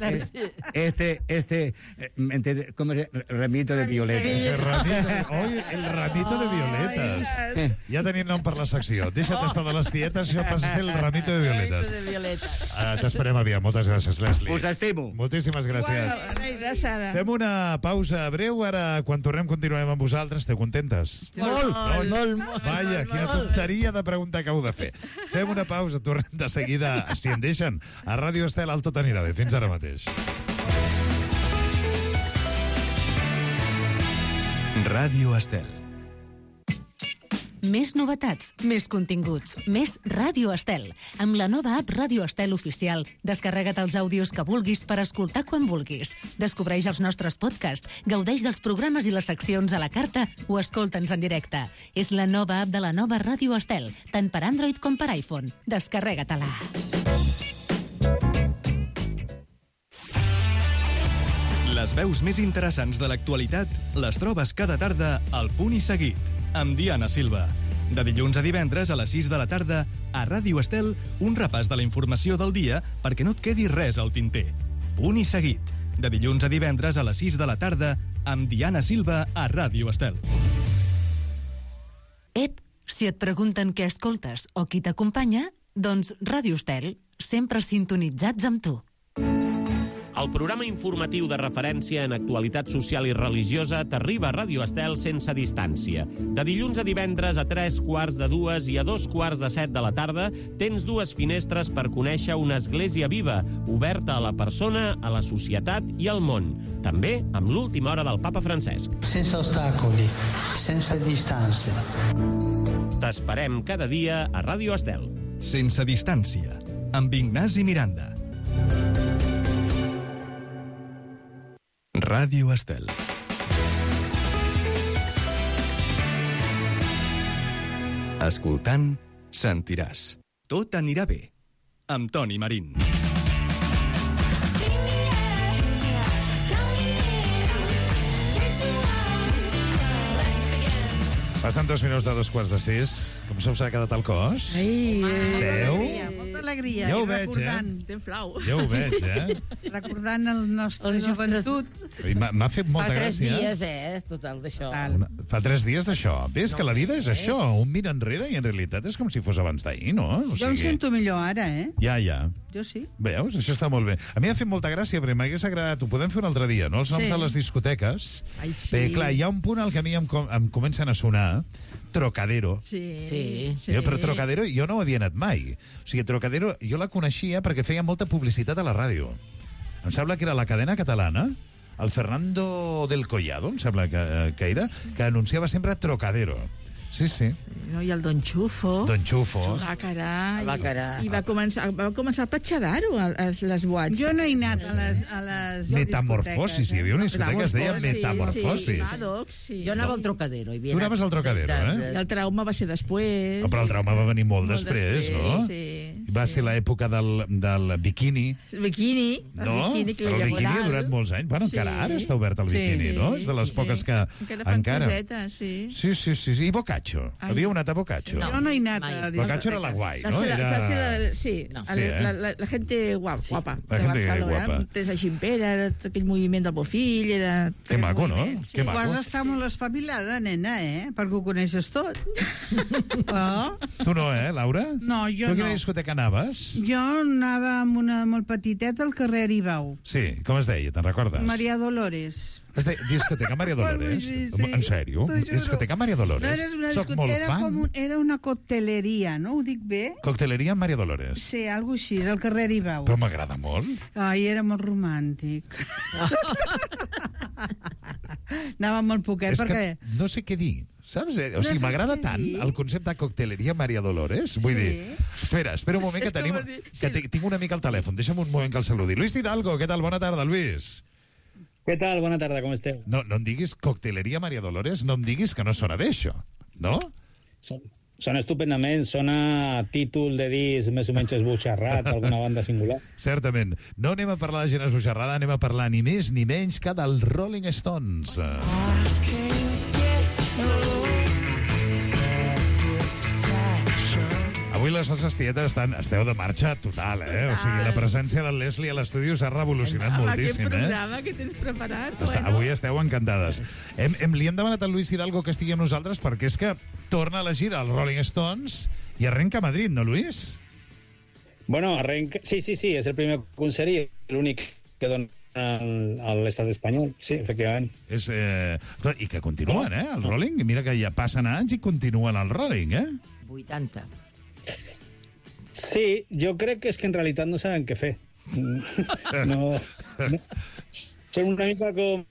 Este, este, este, ¿cómo se llama? Ramito de violetas. El ramito, oi, el ramito de violetas. Ja tenim nom per la secció. Deixa't estar de les tietes, això passa a ser el ramito de violetas. de violetes. Uh, T'esperem aviam. Moltes gràcies, Leslie. Us estimo. Moltíssimes gràcies. Gràcies. Fem una pausa breu. Ara, quan tornem, continuem amb vosaltres. Esteu contentes? Molt, molt, molt. Vaja, quina tonteria de pregunta que heu de fer. Fem una pausa, tornem de seguida, si en deixen, a Ràdio Estel, al Tot anirà bé. Fins ara mateix. Ràdio Estel. Més novetats, més continguts, més Ràdio Estel. Amb la nova app Ràdio Estel Oficial, descarrega't els àudios que vulguis per escoltar quan vulguis. Descobreix els nostres podcasts, gaudeix dels programes i les seccions a la carta o escolta'ns en directe. És la nova app de la nova Ràdio Estel, tant per Android com per iPhone. Descarrega-te-la. Les veus més interessants de l'actualitat les trobes cada tarda al Punt i Seguit, amb Diana Silva. De dilluns a divendres a les sis de la tarda, a Ràdio Estel, un repàs de la informació del dia perquè no et quedi res al tinter. Punt i Seguit. De dilluns a divendres a les sis de la tarda, amb Diana Silva a Ràdio Estel. Ep, si et pregunten què escoltes o qui t'acompanya, doncs Ràdio Estel, sempre sintonitzats amb tu. El programa informatiu de referència en actualitat social i religiosa t'arriba a Ràdio Estel sense distància. De dilluns a divendres a tres quarts de dues i a dos quarts de set de la tarda tens dues finestres per conèixer una església viva, oberta a la persona, a la societat i al món. També amb l'última hora del papa Francesc. Sense ostacoli, sense distància. T'esperem cada dia a Ràdio Estel. Sense distància, amb Ignasi Miranda. Ràdio Estel. Escoltant, sentiràs. Tot anirà bé. Amb Toni Marín. Passen dos minuts de dos quarts de sis. Com se us ha quedat el cos? Ai, Esteu? Molta alegria. Ja ho I veig, recordant, eh? Estem flau. Ja ho veig, eh? Recordant el nostre El nostre- joventut. I M'ha m'ha fet molta Fa tres gràcia. dies, eh, total, d'això. Una, fa tres dies d'això. Ves que la vida és això, un mir enrere i en realitat és com si fos abans d'ahir, no? O Jo em sento millor ara, eh? Ja, ja. Jo sí. Veus? Això està molt bé. A mi m'ha fet molta gràcia, perquè m'hagués agradat, ho podem fer un altre dia, no? Els noms Sí. de les discoteques. Ai, sí. Bé, clar, hi ha un punt al que a mi em, com- em comencen a sonar Trocadero. Sí. Sí. sí. Jo, però Trocadero jo no ho havia anat mai. O sigui, Trocadero jo la coneixia perquè feia molta publicitat a la ràdio. Em sembla que era la cadena catalana, el Fernando del Collado, em sembla que, que era, que anunciava sempre Trocadero. Sí, sí. No, I el Don Xufo. Don Xufo. Va, carai. Va, carai. I va començar, va començar a platxadar-ho, a, a les boats. Jo no he anat a les, a les Metamorfosis, hi havia una discoteca que es deia Metamorfosis. Sí, Maddox, sí. Jo anava al Trocadero. Tu anaves al Trocadero, eh? I el trauma va ser després. Oh, però el trauma va venir molt, Molt després, després, no? sí, Va sí. ser l'època del, del biquini. El biquini. El No? biquini, que Però el li biquini ha moral. durat molts anys. Bueno, encara Sí. ara està obert el Sí, biquini, no? sí, És de les sí, poques sí. que... Encara fan cosetes, sí. Sí, sí, sí, sí. I Boccaccio. Ai. Havia una a Boccaccio. No, jo no he anat mai. a Boccaccio era la guai, La, no? la, Era... la, la, sí, No. la, Sí, eh? la, la, la gente guapa, guapa La de gente Barcelona. guapa. Tens a Gimpera, era aquell moviment del Bofill, era... Que maco, no? moviment, Que Tu maco. has estat molt espavilada, nena, eh? Perquè ho coneixes tot. Oh? Tu no, eh, Laura? No, jo tu a quina no. discoteca anaves? Jo anava amb una molt petiteta al carrer Aribau. Sí, com es deia, te'n recordes? Maria Dolores. Es deia discoteca Maria Dolores? Sí, sí. En sèrio? T'ho juro. Discoteca Maria Dolores? No, era una Soc discoteca, molt era, fan. com un, era una cocteleria, no? Ho dic bé? Cocteleria Maria Dolores. Sí, algo així, al carrer Aribau. Però m'agrada molt. Ai, era molt romàntic. Anava molt poquet, És perquè... que no sé què dir, saps? Eh? O No sigui, saps m'agrada què tant dir? el concepte de cocteleria Maria Dolores. Vull Sí. dir, espera, espera un moment que És com tenim... dir- Que sí. ti- tinc una mica al telèfon. Deixa'm un moment que el saludi. Luis Hidalgo, què tal? Bona tarda, Luis. Què tal? Bona tarda, com esteu? No, no em diguis cocteleria Maria Dolores, no em diguis que no sona bé, això. no? Són, són estupendament, sona títol de disc més o menys esboixarrat, alguna banda singular. Certament. No anem a parlar de gent esboixarrada, anem a parlar ni més ni menys que dels Rolling Stones. Avui les nostres tietes estan, esteu de marxa total, eh? O sigui, la presència del Leslie a l'estudi us ha revolucionat moltíssim, Aquest eh? programa que tens preparat. Està, bueno. avui esteu encantades. Hem, hem, li hem demanat al Luis Hidalgo que estigui amb nosaltres perquè és que torna a la gira als Rolling Stones i arrenca a Madrid, no, Luis? Bueno, arrenca... Sí, sí, sí, és el primer concert i l'únic que dona a l'estat espanyol, sí, efectivament. És, eh... I que continuen, eh, el Rolling. Mira que ja passen anys i continuen el Rolling, eh? vuitanta. Sí, jo crec que és que en realitat no saben què fer. No, no. Són una mica com...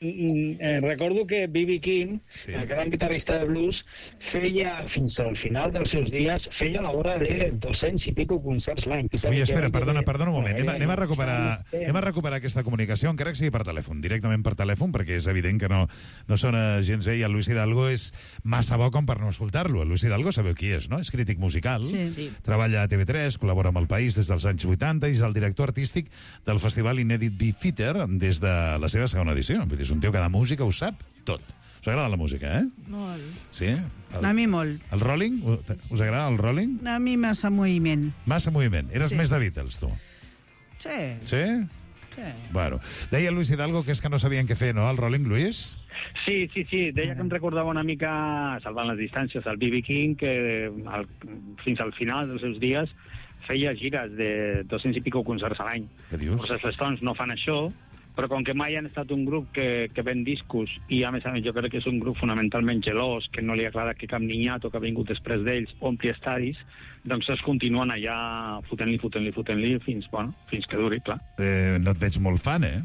Eh, recordo que B B King, sí. el gran guitarrista de blues, feia, fins al final dels seus dies, feia a la vora de dos-cents i pico concerts l'any. Ui, espera, perdona, perdona un moment. Anem, anem, a recuperar, anem a recuperar aquesta comunicació, encara que sigui per telèfon, directament per telèfon, perquè és evident que no, no sona gens bé i el Luis Hidalgo és massa bo com per no escoltar-lo. El Luis Hidalgo sabeu qui és, no? És crític musical, Sí. Sí. treballa a T V tres, col·labora amb El País des dels anys vuitanta i és el director artístic del festival Inèdit Beefeater des de la seva segona edició. Vull dir, és un tio que de música ho sap tot. Us agrada la música, eh? Molt. Sí? El, A mi molt. el Rolling? Us agrada el Rolling? A mi massa moviment. Massa moviment. Eres Sí. més de Beatles, tu. Sí. Sí? Sí. Bueno. Deia Luis Hidalgo que és que no sabien què fer, no, el Rolling, Luis? Sí, sí, sí. Deia que em recordava una mica, salvant les distàncies, el B B King, que al, fins al final dels seus dies feia gires de dos-cents i pico concerts a l'any. Què dius? Els Stones no fan això, però com que mai han estat un grup que, que ven discos i a més a més jo crec que és un grup fonamentalment gelós, que no li agrada que cap niñato que ha vingut després d'ells ompli estadis, doncs es continuen allà fotent-li, fotent-li, fotent-li fins, bueno, fins que duri, clar. Eh, no et veig molt fan, eh?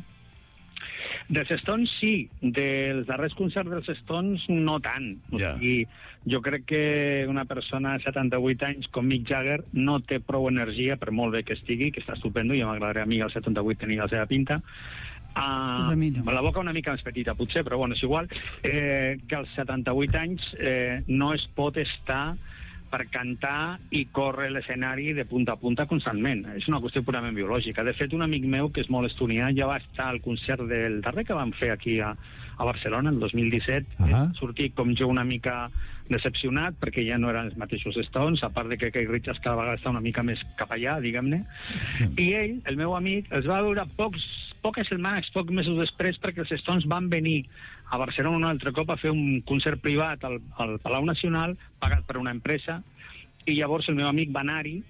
Dels Stones sí, dels darrers concerts dels Stones no tant. Ja. I jo crec que una persona de setanta-vuit anys com Mick Jagger no té prou energia, per molt bé que estigui, que està estupendo, i m'agradaria a mi als setanta-vuit tenir la seva pinta, Uh, Pues a mi no. la boca una mica més petita, potser, però bueno, és igual, eh, que als setanta-vuit anys eh, no es pot estar per cantar i córrer l'escenari de punta a punta constantment. És una qüestió purament biològica. De fet, un amic meu, que és molt estonià, ja va estar al concert del darrer que vam fer aquí a, a Barcelona, el dos mil disset, uh -huh. eh, sortir com jo una mica decepcionat, perquè ja no eren els mateixos Stones, a part de que Keith Richards cada vegada està una mica més cap allà, diguem-ne. I ell, el meu amic, els va veure pocs, poques setmanes, pocs mesos després, perquè els Stones van venir a Barcelona un altre cop a fer un concert privat al, al Palau Nacional, pagat per una empresa, i llavors el meu amic va anar-hi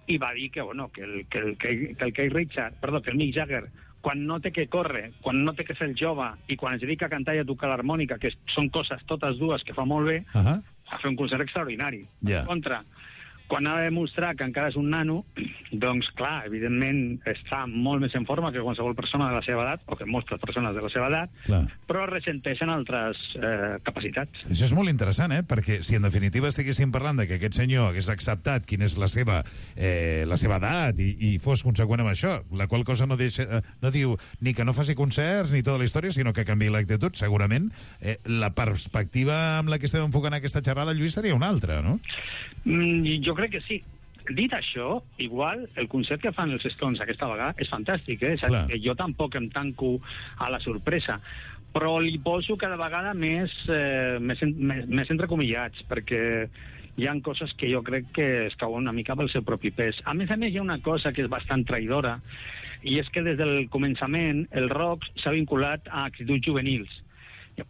i va dir que, bueno, que el, que el, que el Keith Richards, perdó, que el Mick Jagger, quan no té que córrer, quan no té que ser el jove i quan es dedica a cantar i a tocar l'harmònica, que són coses totes dues que fa molt bé, uh -huh. a fer un concert extraordinari. Yeah. En contra, quan ha de demostrar que encara és un nano, doncs, clar, evidentment està molt més en forma que qualsevol persona de la seva edat, o que moltes persones de la seva edat, Clar. però ressenteixen altres eh, capacitats. Això és molt interessant, eh? Perquè si en definitiva estiguéssim parlant de que aquest senyor hagués acceptat quina és la seva, eh, la seva edat i, i fos conseqüent amb això, la qual cosa no, deixa, eh, no diu ni que no faci concerts ni tota la història, sinó que canviï l'actitud, segurament eh, la perspectiva amb la que estem enfocant aquesta xerrada, Lluís, seria una altra, no? Mm, jo crec que sí. Dit això, igual, el concert que fan els Stones aquesta vegada és fantàstic, eh? És a dir, que jo tampoc em tanco a la sorpresa, però li poso cada vegada més, eh, més, més, més entrecomillats, perquè hi ha coses que jo crec que es cauen una mica pel seu propi pes. A més a més, hi ha una cosa que és bastant traïdora, i és que des del començament el rock s'ha vinculat a actituds juvenils.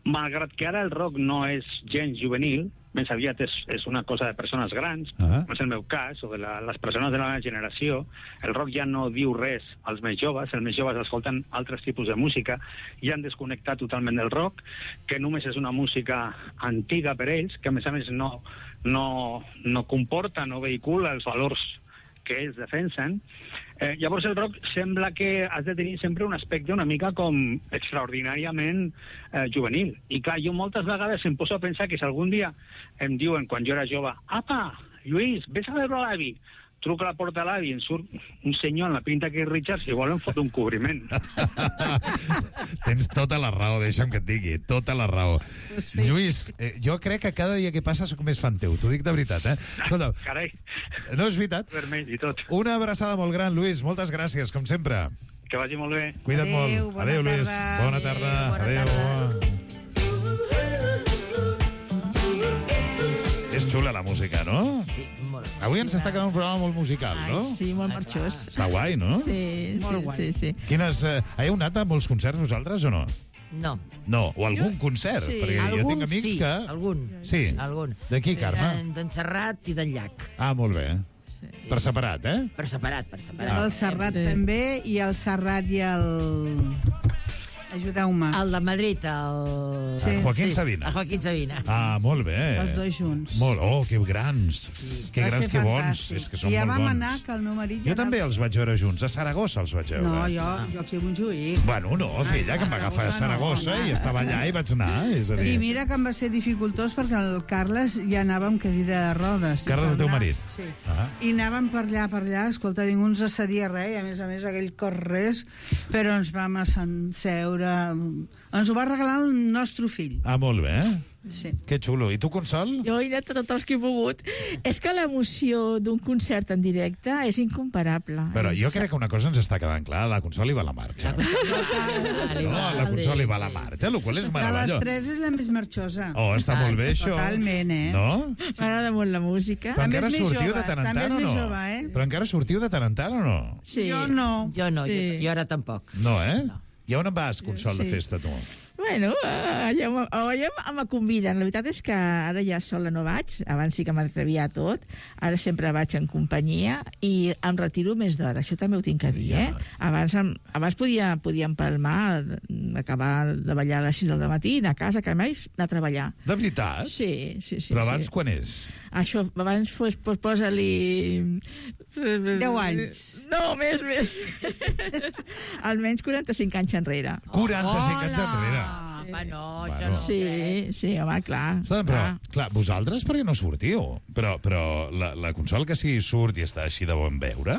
Malgrat que ara el rock no és gens juvenil, més aviat és, és una cosa de persones grans, uh -huh. no és el meu cas, o de la, les persones de la meva generació, el rock ja no diu res als més joves, els més joves escolten altres tipus de música i han desconnectat totalment del rock, que només és una música antiga per ells, que a més a més no, no, no comporta, no vehicula els valors que ells defensen. Eh, llavors el rock sembla que has de tenir sempre un aspecte una mica com extraordinàriament eh, juvenil. I clar, jo moltes vegades em poso a pensar que si algun dia em diuen, quan jo era jove, apa, Lluís, vés a veure l'avi, truco a la porta de l'avi i em surt un senyor en la pinta que és Richard, si volen fot un cobriment. Tens tota la raó, deixa'm que et digui, tota la raó. Sí. Lluís, eh, jo crec que cada dia que passa sóc més fan teu, t'ho dic de veritat, eh? Escolta, Carai, no és veritat? vermell i tot. Una abraçada molt gran, Lluís, moltes gràcies, com sempre. Que vagi molt bé. Cuida't Adéu, molt. bona Adéu, Lluís. tarda. Bona tarda. Adéu, bona Adéu. És xula la música, no? Sí, molt. Avui ens està quedant un programa molt musical, no? Ai, sí, molt marxós. Està guai, no? Sí, Molt sí, guai. sí, sí. Quines... Eh, heu anat a molts concerts vosaltres o no? No. No, o algun concert, Sí. perquè jo Algun tinc amics sí, que... algun. Sí. Algun. De qui, Carme? Eh, D'en Serrat i d'en Llach. Ah, molt bé. Per separat, eh? Per separat, per separat. El Serrat també, i el Serrat i el... Ajudeu-me. El de Madrid, el... Sí. El Joaquín Sí, Sabina. El Joaquín Sabina. Ah, molt bé. Els dos junts. Molt, oh, que grans. Que Va grans, ser que bons. fantàstic. És que són I ja molt vam bons. anar, que el meu marit... Jo ja també anava- els vaig veure junts. A Saragossa els vaig veure. No, jo, jo aquí a Montjuïc. Bueno, no, filla, que em va agafar a Saragossa i estava allà i vaig anar. És a dir, I mira que em va ser dificultós perquè el Carles ja anava amb cadira de rodes. I Carles, per el teu anar- marit? Sí. Ah. I anàvem per allà, per allà, escolta, ningú ens assedia res, i a més a més aquell cor res, però ens vam asseure... Ens ho va regalar el nostre fill. Ah, molt bé. Sí. Que xulo. I tu, Consol? Jo he anat a tots els que he pogut. És que l'emoció d'un concert en directe és incomparable. Però jo crec que una cosa ens està quedant clar. La Consol hi va a la marxa. No, la Consol hi va a la marxa, el qual és De les meravellós. tres és la més marxosa. Oh, està molt bé, això. Totalment, eh? No? M'agrada molt la música. Però encara és més sortiu jove, de tant en també tant és o més no? jove, eh? Però encara sortiu de tant en tant o no? Sí. Jo no. Jo no, Sí. jo, jo ara tampoc. No, eh? I on en vas, Consol, de Sí. festa, tu? Bueno, allà, m- allà me conviden. La veritat és que ara ja sola no vaig. Abans sí que m'atrevia a tot. Ara sempre vaig en companyia i em retiro més d'hora. Això també ho tinc a dir, eh? Abans, em- abans podia, podia empalmar, acabar de ballar a les sis del matí, anar a casa, que mai anar a treballar. De veritat? Sí, sí, sí. Però abans sí. quan és? Això, abans pues, pues, posa-li... Deu anys. No, més, més. Almenys quaranta-cinc anys enrere. quaranta-cinc anys enrere. Va, no, Bueno. això no. Sí, sí, home, clar. Escolta, però, clar, vosaltres per què no sortiu? Però, però la, la Consol que sí surt i està així de bon veure,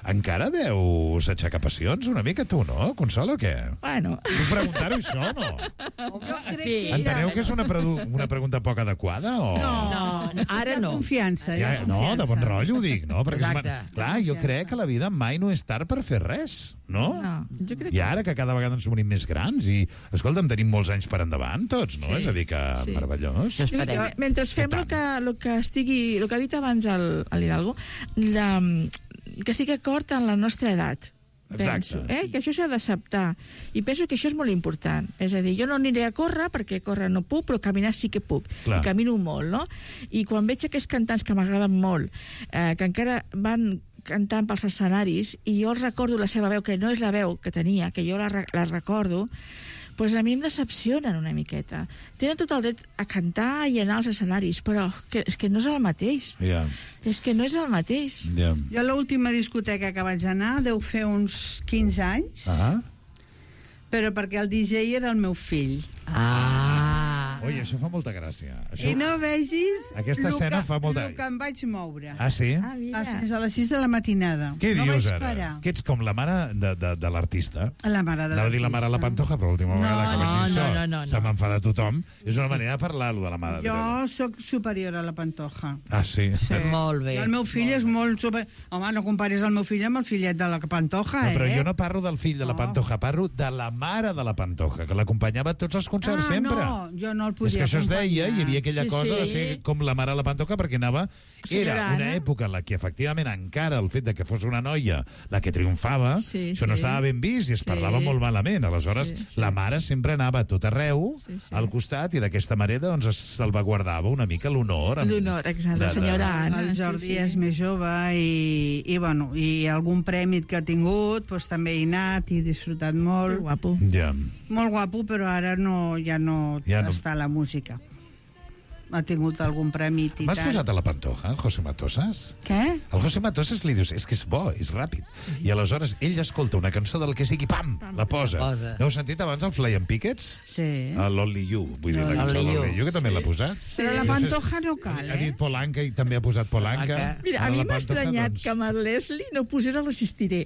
encara deus aixecar passions una mica tu, no, Consol, o què? Bueno. Puc preguntar-ho, això, o no? Sí. Enteneu que és una, predu- una pregunta poc adequada, o...? No, no, ara no. Confiança, hi ha Ja, no, confiança. de bon rotllo ho dic, no? Perquè és Exacte. man- clar, jo crec que la vida mai no és tard per fer res, no? No, jo crec I ara que cada vegada ens morim més grans i, escolta'm, tenim molts anys per endavant tots, no? Sí. És a dir, que Sí. meravellós. Jo, mentre fem el que, el que estigui, el que ha dit abans el, el Hidalgo, la, que estigui d'acord amb la nostra edat. Exacte. Penso, eh? Que això s'ha d'acceptar. I penso que això és molt important. És a dir, jo no aniré a córrer, perquè córrer no puc, però caminar sí que puc. Clar. I camino molt, no? I quan veig aquests cantants que m'agraden molt, eh, que encara van cantant pels escenaris, i jo els recordo la seva veu, que no és la veu que tenia, que jo la, re- la recordo, pues a mi em decepcionen una miqueta. Tenen tot el dret a cantar i anar als escenaris, però que, és que no és el mateix. Ja, És que no és el mateix. ja. Jo l'última discoteca que vaig anar deu fer uns quinze anys, Ah, però perquè el D J era el meu fill. Ah. oi, això fa molta gràcia. Això... I no vegis Aquesta lo escena que, fa molta- lo que em vaig moure. Ah, sí? Ah, mira. Fins a les sis de la matinada. Què no dius vaig ara? parar. Que ets com la mare de, de, de l'artista. La mare de Anava a dir la mare de la Pantoja, però l'última No, vegada que vaig dir no, això no, no, no, no. se m'enfada tothom. És una manera de parlar, lo de la mare. de- Jo sóc superior a la Pantoja. Ah, sí? Sí. Molt bé. I el meu fill és molt super... Home, no comparis el meu fill amb el fillet de la Pantoja, No, però eh? jo no parlo del fill de la Pantoja, parlo de la mare de la Pantoja, que l'acompanyava a tots els concerts ah, sempre. no, jo no el podia És que això es deia, acompanyar. hi havia aquella Sí, cosa de sí. ser com la mare de la Pantoja, perquè anava... Senyora Era una Anna. època en la que, efectivament, encara el fet de que fos una noia la que triomfava, Sí, això no sí. estava ben vist i es Sí. parlava molt malament. Aleshores, Sí, sí. la mare sempre anava a tot arreu, Sí, sí. al costat, i d'aquesta manera doncs, es salvaguardava una mica l'honor. amb- L'honor, exacte, de- la de- senyora Anna. El Jordi sí, sí. és més jove i, i, bueno, i algun prèmit que ha tingut doncs, també he anat i he disfrutat molt. Que guapo. Ja. Molt guapo, però ara no, ja no, Ja no. està a la música. ha tingut algun premi Titán. M'has posat a la Pantoja, el José Matosas? Què? El José Matosas li dius, és que és bo, és ràpid. I aleshores ell escolta una cançó del que sigui, pam, la posa. posa. N'heu sentit abans el Flying Pickets? Sí. L'Only You, vull dir, la cançó Only You. l'Only You, que també l'ha posat. Però la Pantoja no cal, Ha eh? dit Polanca i també ha posat Polanca. Mira, a Ara mi la m'ha Pantoja, estranyat doncs, que amb el Leslie no posés el Resistiré.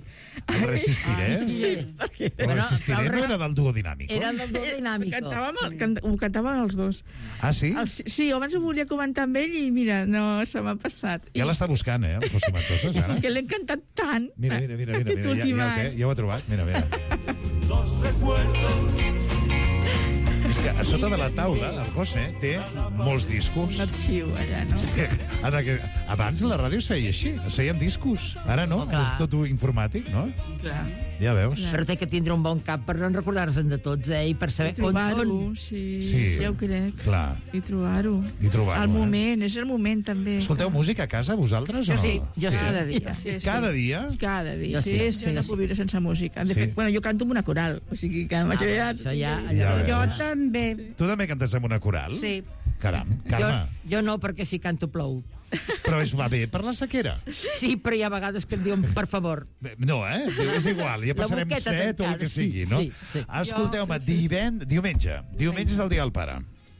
El Resistiré? Sí, perquè... El Resistiré no era del duo dinàmico? Era del duo dinàmico. Cantàvem, el, can, ho cantàvem els dos. Ah, sí? El, sí, abans ho volia comentar amb ell i mira, no, se m'ha passat. Ja l'està buscant, eh, el José Matosas, ara? Que l'he encantat tant. Mira, mira, mira, mira, aquest mira, ja, últim ja, any. ja, ja ho ha trobat, mira, mira. Los recuerdos. És que a sota de la taula, el José té molts discos. Un arxiu allà, no? En aqu- Abans la ràdio es feia així, es feien discos. Ara no, Oh, clar. és tot informàtic, no? Clar. Ja veus. Però té que tindre un bon cap per no recordar-se'n de tots, eh? I per saber on Trobar-ho, són. sí, Sí, sí, ja ho crec. clar. I trobar-ho. I trobar-ho, El eh? moment, és el moment, també. Escolteu música a casa, vosaltres, o no? Sí, jo sí. Cada dia. Sí, sí. Cada dia? Cada dia, Jo sí. sí, sí, sí, no sí. puc viure sense música. De Sí. fet, bueno, jo canto amb una coral, o sigui que m'haig Ah, ja... això ja- Ja Jo veus. també. Tu també cantes amb una coral? Sí. Caram, Jo, Carme, jo no, perquè si canto plou. però es va bé per la sequera? Sí, però hi ha vegades que em diuen, per favor. No, eh? És igual, ja La passarem boqueta set o el tancada, que sí, sigui, no? sí, sí. Escolteu-me, divend... diumenge. Diumenge és el dia del pare.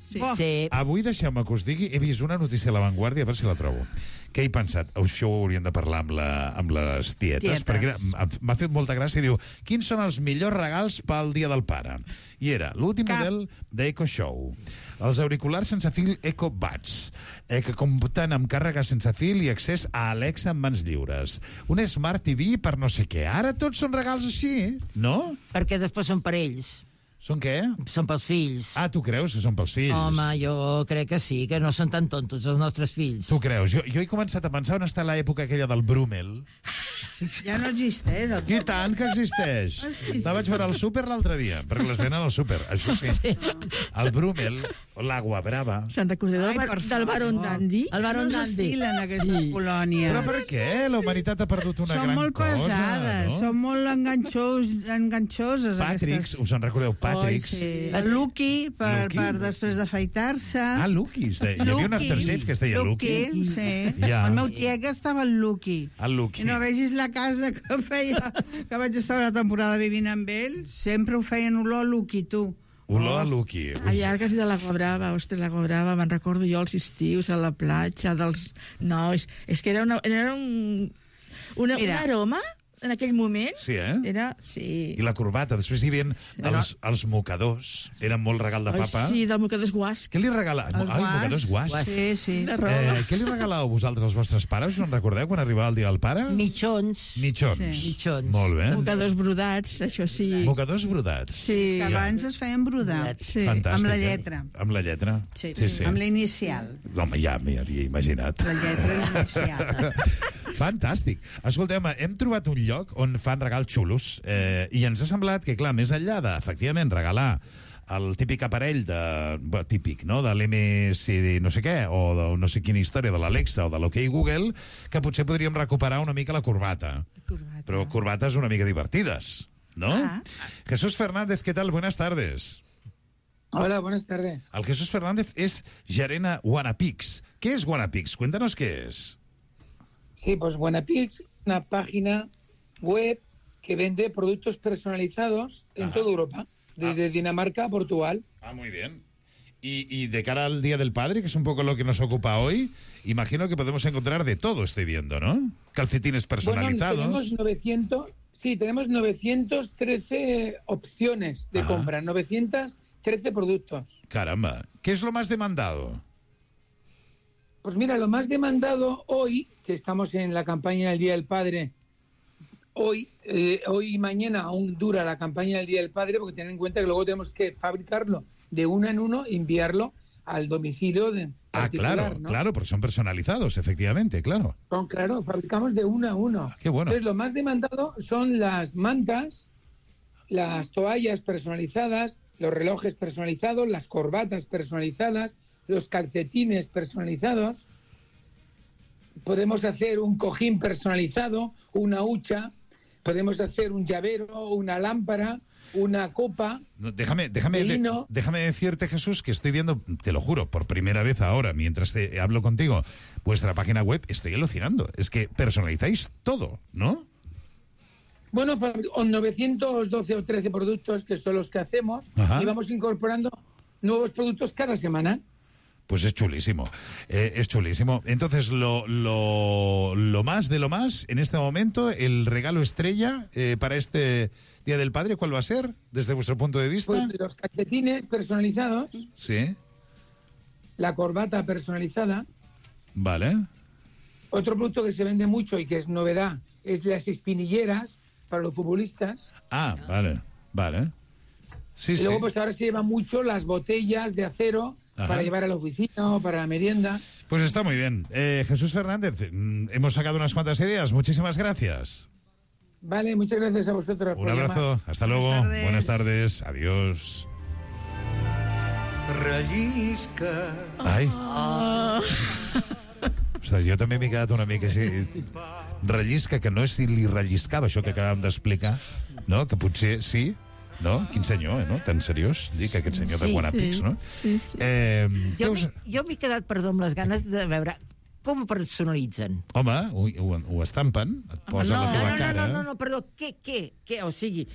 Sí. Sí. Avui deixeu-me que us digui, he vist una notícia a La Vanguardia, a veure si la trobo. Què he pensat? Això ho hauríem de parlar amb, la, amb les tietes, Tietes. perquè m- m'ha fet molta gràcia. Diu, quins són els millors regals pel dia del pare? I era l'últim Cap. model d'Eco Show, els auriculars sense fil Eco Buds, eh, que compten amb càrrega sense fil i accés a Alexa en mans lliures, un Smart T V per no sé què. Ara tots són regals així, no? Perquè després són per ells. Són què? Són pels fills. Ah, tu creus que són pels fills? Home, jo crec que sí, que no són tan tontos els nostres fills. Tu creus? Jo, jo he començat a pensar on està l'època aquella del Brumel. Ja no existeix. El... I tant que existeix. La vaig veure al súper l'altre dia, perquè les venen al súper, això sí. El Brumel, l'Agua Brava. Se'n recordeu Ai, del, per bar, del Baron favor. Dandy? El Baron no Dandy. s'estilen aquestes Sí. colònies. Però per què? La humanitat ha perdut una Són gran molt cosa, pesades, no? són molt enganxós, enganxoses. Patricks, aquestes. us en recordeu? Patricks. Sí. El Lucky, per, Lucky? per després d'afaitar-se. Ah, Lucky. es deia. Hi havia un aftershave que es deia Lucky. Lucky, sí. Ja. El meu tiet estava el Lucky. El Lucky. I no vegis la casa que feia, que vaig estar una temporada vivint amb ell, sempre ho feien olor a Lucky, tu. Olor a Lucky. A llargues de l'Agua Brava, ostres, l'Agua Brava, me'n recordo jo els estius a la platja dels nois. És que era, una, era un, una, un Mira. aroma en aquell moment. Sí, eh? Era, sí. I la corbata. Després hi havia els, els mocadors. Eren molt regal de Ai, papa. sí, del mocador guasc. Què li regala? El Ai, mocadors guas. Sí, sí. De roba. Eh, què li regalàveu vosaltres als vostres pares? Us en recordeu quan arribava el dia del pare? Mitjons. Mitjons. Sí. Mitjons. Molt bé. Mocadors brodats, això sí. Mocadors brodats. Sí. Que abans es feien brodar. Sí. Fantàstic. Amb la eh? lletra. Amb la lletra. Sí, sí. sí. amb la inicial. Home, ja m'hi havia imaginat. La lletra inicial. Fantàstic. Escoltem, hem trobat un lloc on fan regals xulos eh, i ens ha semblat que, clar, més enllà de, efectivament, regalar el típic aparell de... Bueno, típic, no?, de l'M S D no sé què, o de no sé quina història, de l'Alexa o de l'OK Google, que potser podríem recuperar una mica la corbata. Corbata. Però corbates una mica divertides, ¿no? Ah. Jesús Fernández, ¿qué tal? Buenas tardes. Hola, buenas tardes. El Jesús Fernández es gerent a Wanapix. ¿Qué es Wanapix? Cuéntanos qué es. Sí, pues Buenapix, una página web que vende productos personalizados en Ajá. toda Europa, desde Dinamarca a Portugal. Ah, muy bien. Y, y de cara al Día del Padre, que es un poco lo que nos ocupa hoy, imagino que podemos encontrar de todo, estoy viendo, ¿no? Calcetines personalizados. Bueno, tenemos novecientos, sí, tenemos novecientos trece opciones de Ajá. compra, novecientos trece productos. Caramba. ¿Qué es lo más demandado? Pues mira, lo más demandado hoy, que estamos en la campaña del Día del Padre, hoy, eh, hoy y mañana aún dura la campaña del Día del Padre, porque ten en cuenta que luego tenemos que fabricarlo de uno en uno e enviarlo al domicilio de Ah, particular, claro, ¿no? claro, porque son personalizados, efectivamente, claro. Son, claro, fabricamos de uno a uno. Qué bueno. Entonces, lo más demandado son las mantas, las toallas personalizadas, los relojes personalizados, las corbatas personalizadas, los calcetines personalizados. Podemos hacer un cojín personalizado, una hucha, podemos hacer un llavero, una lámpara, una copa. No, déjame, déjame, de de, lino. déjame decirte, Jesús, que estoy viendo, te lo juro, por primera vez ahora, mientras te hablo contigo, vuestra página web, estoy alucinando. Es que personalizáis todo, ¿no? Bueno, novecientos doce o trece productos que son los que hacemos. Ajá. Y vamos incorporando nuevos productos cada semana. Pues es chulísimo, eh, es chulísimo. Entonces, lo, lo, lo más de lo más, en este momento, el regalo estrella eh, para este Día del Padre, ¿cuál va a ser, desde vuestro punto de vista? Pues los calcetines personalizados. Sí. La corbata personalizada. Vale. Otro producto que se vende mucho y que es novedad es las espinilleras para los futbolistas. Ah, vale, vale. Sí, y luego, sí. pues ahora se llevan mucho las botellas de acero. Ajá. Para llevar a la oficina o para la merienda. Pues está muy bien. Eh, Jesús Fernández, hemos sacado unas cuantas ideas. Muchísimas gracias. Vale, muchas gracias a vosotros. Un abrazo. Llamar. Hasta luego. Buenas tardes. Buenas tardes. Adiós. Rellisca. Ai. Oh. Ostres, jo també m'he quedat una mica així. Rellisca, que no és si li relliscava això que acabem d'explicar, no? Que potser sí. No? Quin senyor, eh, no? Tan seriós, dic, aquest senyor sí, de Guanàpics, sí, no? Sí, sí. Eh, jo us... m'he quedat, perdó, amb les ganes de veure com ho personalitzen. Home, ho, ho, ho estampen, et posen no, la teva no, no, cara... No, no, no, perdó, què, què, què? O sigui,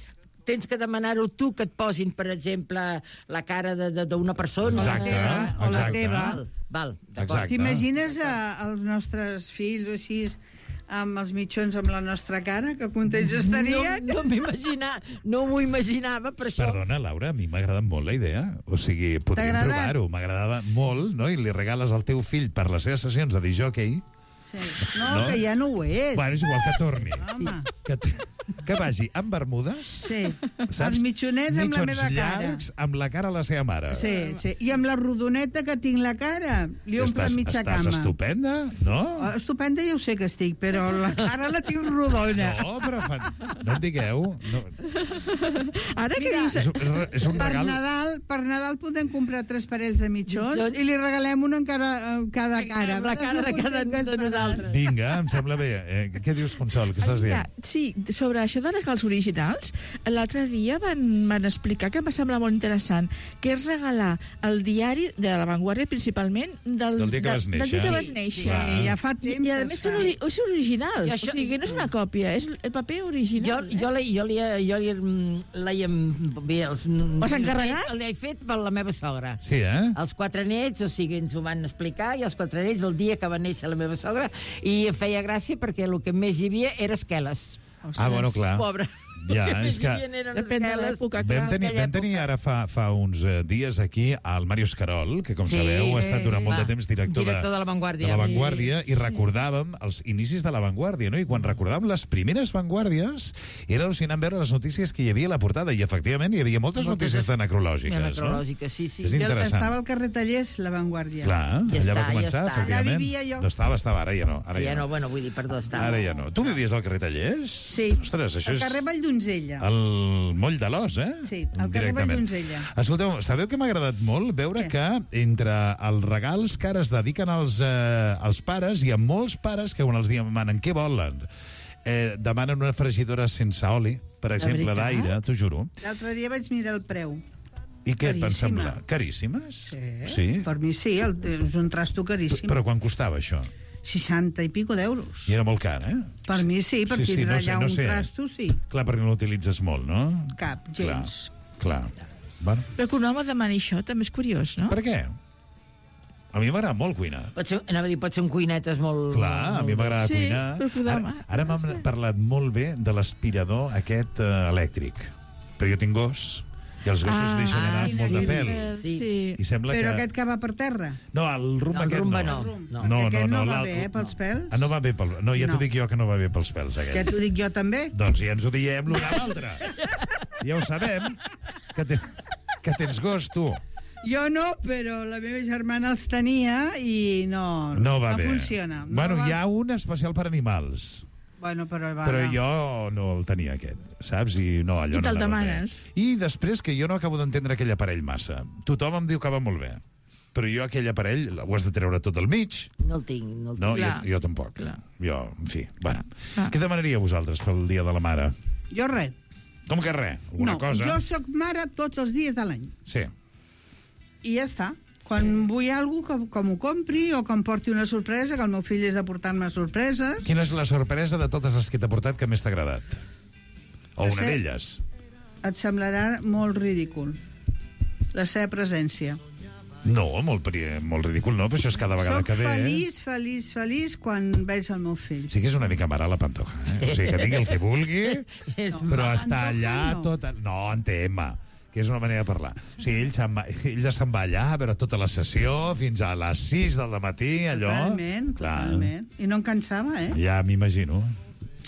tens que demanar-ho tu, que et posin, per exemple, la cara d'una persona... Exacte, o la teva. Val, val, d'acord. T'imagines els nostres fills o així... amb els mitjons amb la nostra cara, que contents estarien? No, no m'imaginava, no m'ho imaginava, per això... Perdona, Laura, a mi m'ha agradat molt la idea. O sigui, podríem provar-ho. M'agradava molt, no? I li regales al teu fill per les seves sessions de disjockey. Sí. No, no, que ja no ho és. Bueno, és igual que torni. Home. Que, que vagi amb bermudes, sí. Saps? Els mitjonets amb la meva cara. Llargs amb la cara a la seva mare. Sí, sí. I amb la rodoneta que tinc la cara, li omple mitja estàs cama. Estàs estupenda, no? Oh, estupenda ja ho sé que estic, però la cara la tinc rodona. No, però fan... no en digueu. No. Ara que Mira, dius... És, és, és un per regal... Nadal, per Nadal podem comprar tres parells de mitjons Mitjons. i li regalem un en cada, cada cara. La cara de cada de nosaltres. Vinga, em sembla bé. Eh, què dius, Consol? Què estàs dient? Sí, sobre això de regals originals, l'altre dia van, van explicar que em va semblar molt interessant, que és regalar el diari de La Vanguardia, principalment, del, del dia que vas néixer. Del dia que vas néixer. Sí, ja fa temps. I, a més, és, ori és original. Això, o sigui, no és una còpia, és el paper original. Jo, jo, li, jo, li, jo li, l'he... Bé, els... Ho has encarregat? L'he fet per la meva sogra. Sí, eh? Els quatre nets, o sigui, ens ho van explicar, i els quatre nets, el dia que va néixer la meva sogra, i feia gràcia perquè el que més hi havia era esqueles. Ostres. Ah, bueno, clar. Pobre. Ja, és que... Depèn de l'època. Vam tenir, vam tenir ara fa, fa uns uh, dies aquí al Màrius Carol, que com sí, sabeu ha estat durant molt va, de temps director, director de, de La Vanguardia, de la Vanguardia sí, i recordàvem els inicis de La Vanguardia, no? I quan recordàvem les primeres Vanguardies era al·lucinant veure les notícies que hi havia a la portada, i efectivament hi havia moltes, moltes notícies necrològiques. Necrològiques, no? Sí, sí. És interessant. Estava al carrer Tallers, La Vanguardia. Clar, ja allà està, va començar, ja efectivament. Allà vivia jo. No estava, estava, ara ja no. Ara ja, ja no, no. bueno, vull dir, perdó, estava... Ara ja no. Tu vivies al carrer Tallers? Sí. Ostres, això al és... carrer Valldonzella. El moll de l'Os, eh? Sí, al carrer Valldonzella. Escolteu, sabeu que m'ha agradat molt veure Què? que entre els regals que ara es dediquen als, eh, als pares, hi ha molts pares que quan els demanen què volen, eh, demanen una fregidora sense oli, per exemple, d'aire, t'ho juro. L'altre dia vaig mirar el preu. I què et van Caríssima. semblar? Caríssimes? Sí. Sí? Per mi sí, el, és un trasto caríssim. Però quan costava això? seixanta i pico d'euros. I era molt car, eh? Per mi sí, per sí, sí, tindre no sé, allà no un sé. trasto, sí. Clar, perquè no l'utilitzes molt, no? Cap, gens. Clar, clar. Bueno. Però que un home demani això també és curiós, no? Per què? A mi m'agrada molt cuinar. Pot ser, anava a dir, pot ser un cuinetes molt... Clar, a mi m'agrada sí, cuinar. Ara, ara m'han parlat molt bé de l'aspirador aquest uh, elèctric. Però jo tinc gos, i els gossos Ah, deixen anar ah, molt de sí, pèl. sí. I sembla Però que... aquest que va per terra? No, el rumba No, el aquest rumba no. no. No, no, no, aquest no, no, va l'al- bé, eh, pels pèls? Ah, no va bé pel... No, ja No. t'ho dic jo que no va bé pels pèls, aquest. Ja t'ho dic jo també? Doncs ja ens ho diem l'un a l'altre. Ja ho sabem, que, te... que tens gos, tu. Jo no, però la meva germana els tenia i no, No va no bé. funciona. No Bueno, va... hi ha un especial per animals. Bueno, però, va, Però no. jo no el tenia, aquest, saps? I no, allò I no te'l anava demanes. bé. I després que jo no acabo d'entendre aquell aparell massa. Tothom em diu que va molt bé, però jo aquell aparell ho has de treure tot al mig. No el tinc, no el tinc. No, jo, Clar. jo tampoc. Clar. Jo, en fi, bueno. Què demanaria vosaltres pel Dia de la Mare? Jo res. Com que res? Alguna no, cosa? jo sóc mare tots els dies de l'any. Sí. I ja està. Quan vull alguna cosa, que, que m'ho compri o que em porti una sorpresa, que el meu fill és de portar-me sorpreses. Quina és la sorpresa de totes les que t'ha portat que més t'ha agradat? O La una se- d'elles? Et semblarà molt ridícul la seva presència. No, molt, pri- molt ridícul, no, però això és cada vegada Soc que ve. feliç, feliç, feliç quan veig el meu fill. Sí que és una mica mare la Pantoja, eh? O sigui, que digui el que vulgui, És però mare. està allà no. tot... No, en tema, que és una manera de parlar. O sigui, ell se'n va, ell ja se'n va allà a veure tota la sessió fins a les sis del matí, allò... Totalment, Clar. totalment. I no em cansava, eh? Ja m'imagino.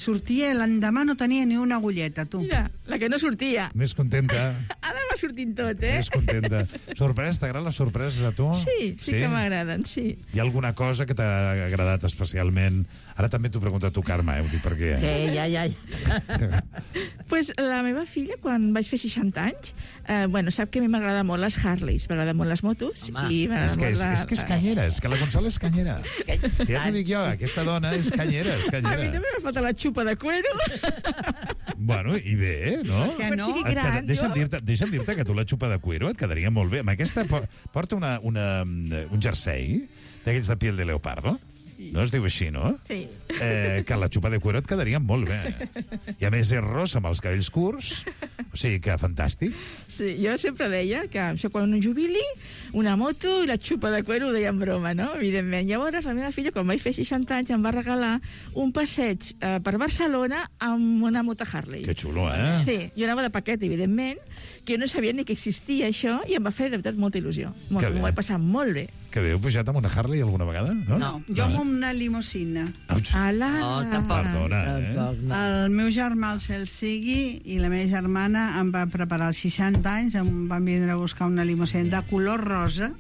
Sortia, l'endemà no tenia ni una agulleta, tu. Ja, la que no sortia. Més contenta, Ara va sortint tot, eh? més contenta. Sorpresa, t'agraden les sorpreses a tu? Sí, sí, que m'agraden, sí. Hi ha alguna cosa que t'ha agradat especialment? Ara també t'ho pregunto a tu, Carme, eh? Ho dic perquè... Sí, ja, ja. ja. Pues la meva filla, quan vaig fer seixanta anys, eh, bueno, sap que a mi m'agrada molt les Harleys, m'agraden molt les motos. Home. I m'agrada És que és, molt la- és que és canyera, és que la Consola és canyera. Si ja t'ho dic jo, aquesta dona és canyera, és A mi canyera. també m'ha faltat la xupa de cuero. Bueno, i bé, no? Que Quan no? sigui Et gran, queda- deixa'm jo. dir-te deixa'm dir-te que tu la xupa de cuero et quedaria molt bé. Amb aquesta po- porta una, una, un jersei d'aquells de piel de leopardo. No es diu així, no? Sí. Eh, que la xupa de cuero et quedaria molt bé. I a més és rosa amb els cabells curts. O sigui que fantàstic. Sí, jo sempre deia que això quan un jubili, una moto i la xupa de cuero ho deia en broma, no? Evidentment. Llavors, la meva filla, quan vaig fer seixanta anys, em va regalar un passeig eh, per Barcelona amb una moto Harley. Que xulo, eh? Sí, jo anava de paquet, evidentment, que jo no sabia ni que existia això i em va fer, de veritat, molta il·lusió. Molt, Que bé. m'ho vaig passar molt bé. Que bé, heu pujat amb una Harley alguna vegada? No, No, jo amb una limusina. Ala! No, tampoc. Perdona, eh? Tampoc, no. El meu germà, el cel sigui, i la meva germana em va preparar els seixanta anys, em van vindre a buscar una limusina de color rosa,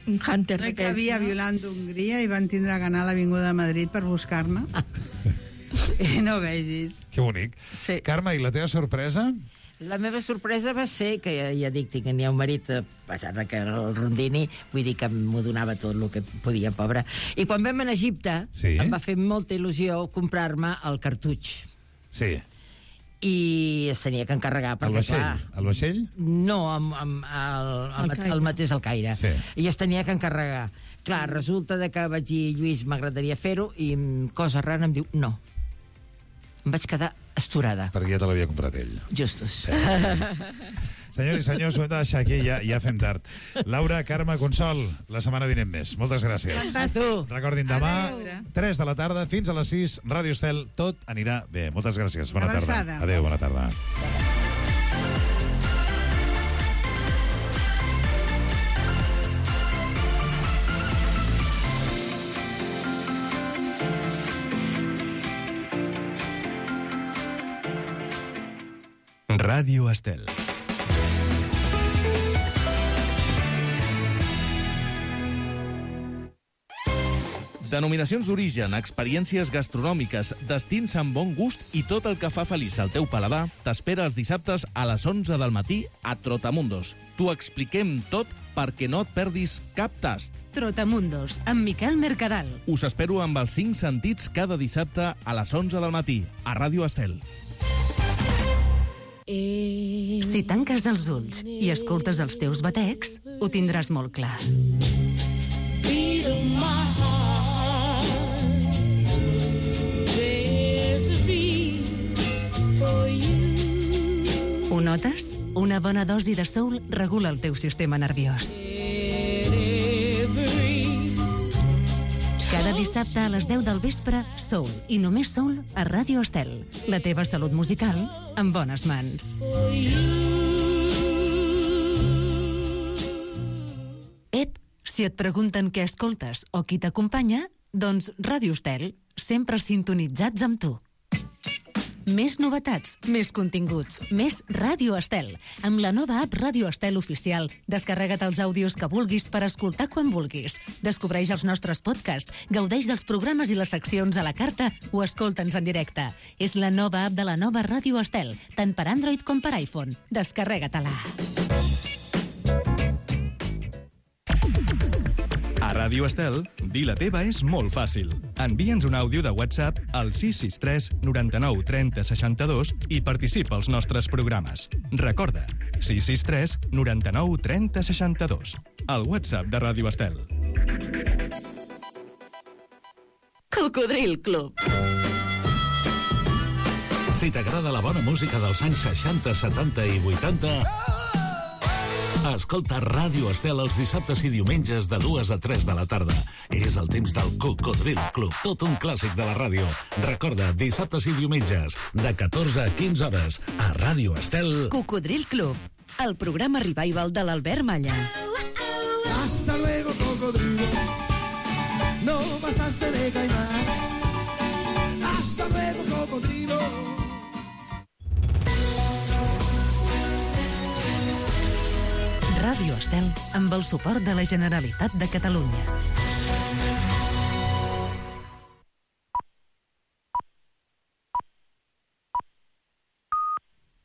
Un Hunter no hi d'aquells, cabia, no? violant d'Hongria, i van tindre que anar a l'Avinguda de Madrid per buscar-me. I no vegis. Que bonic. Sí. Carme, i la teva sorpresa? La meva sorpresa va ser que, ja, ja dic, tenia un marit, a pesar de que el rondini, vull dir que m'ho donava tot el que podia, pobre. I quan vam anar a Egipte, Sí. em va fer molta il·lusió comprar-me el cartutx. Sí. I es tenia que encarregar, El perquè, vaixell? clar... El vaixell? No, amb, amb el, el, El el, Caire. el mateix al Caire. Sí. I es tenia que encarregar. Clar, resulta de que vaig dir, Lluís, m'agradaria fer-ho, i mm, cosa rara em diu, no. Em vaig quedar esturada. Perquè ja te l'havia comprat ell. Justos. Senyors i senyors, ho hem de deixar aquí, ja, ja fem tard. Laura, Carme, Consol, la setmana vinent més. Moltes gràcies. A tu. Recordin, demà, Adéu. tres de la tarda, fins a les sis, Ràdio Estel, tot anirà bé. Moltes gràcies. Bona Abraçada. tarda. Adéu, bona tarda. Ràdio Estel. Denominacions d'origen, experiències gastronòmiques, destins amb bon gust i tot el que fa feliç al teu paladar t'espera els dissabtes a les onze del matí a Trotamundos. T'ho expliquem tot perquè no et perdis cap tast. Trotamundos, amb Miquel Mercadal. Us espero amb els cinc sentits cada dissabte a les onze del matí a Ràdio Estel. Si tanques els ulls i escoltes els teus batecs, ho tindràs molt clar. Ho notes? Una bona dosi de soul regula el teu sistema nerviós. Cada dissabte a les deu del vespre, Soul, i només Soul, a Ràdio Estel. La teva salut musical en bones mans. Ep, si et pregunten què escoltes o qui t'acompanya, doncs Ràdio Estel, sempre sintonitzats amb tu. Més novetats, més continguts, més Ràdio Estel. Amb la nova app Ràdio Estel Oficial, descarrega't els àudios que vulguis per escoltar quan vulguis. Descobreix els nostres podcasts, gaudeix dels programes i les seccions a la carta o escolta'ns en directe. És la nova app de la nova Ràdio Estel, tant per Android com per iPhone. Descarrega-te-la. Ràdio Estel, dir la teva és molt fàcil. Envia'ns un àudio de WhatsApp al sis sis tres noranta-nou trenta seixanta-dos i participa als nostres programes. Recorda, sis sis tres noranta-nou trenta seixanta-dos. El WhatsApp de Ràdio Estel. Cocodril Club. Si t'agrada la bona música dels anys seixanta, setanta i vuitanta, escolta Ràdio Estel els dissabtes i diumenges de dues a tres de la tarda. És el temps del Cocodril Club, tot un clàssic de la ràdio. Recorda, dissabtes i diumenges, de catorze a quinze hores, a Ràdio Estel. Cocodril Club, el programa revival de l'Albert Malla. Hasta luego, cocodrilo. No pasaste de caimán. Hasta luego, cocodrilo. Ràdio Estel, amb el suport de la Generalitat de Catalunya.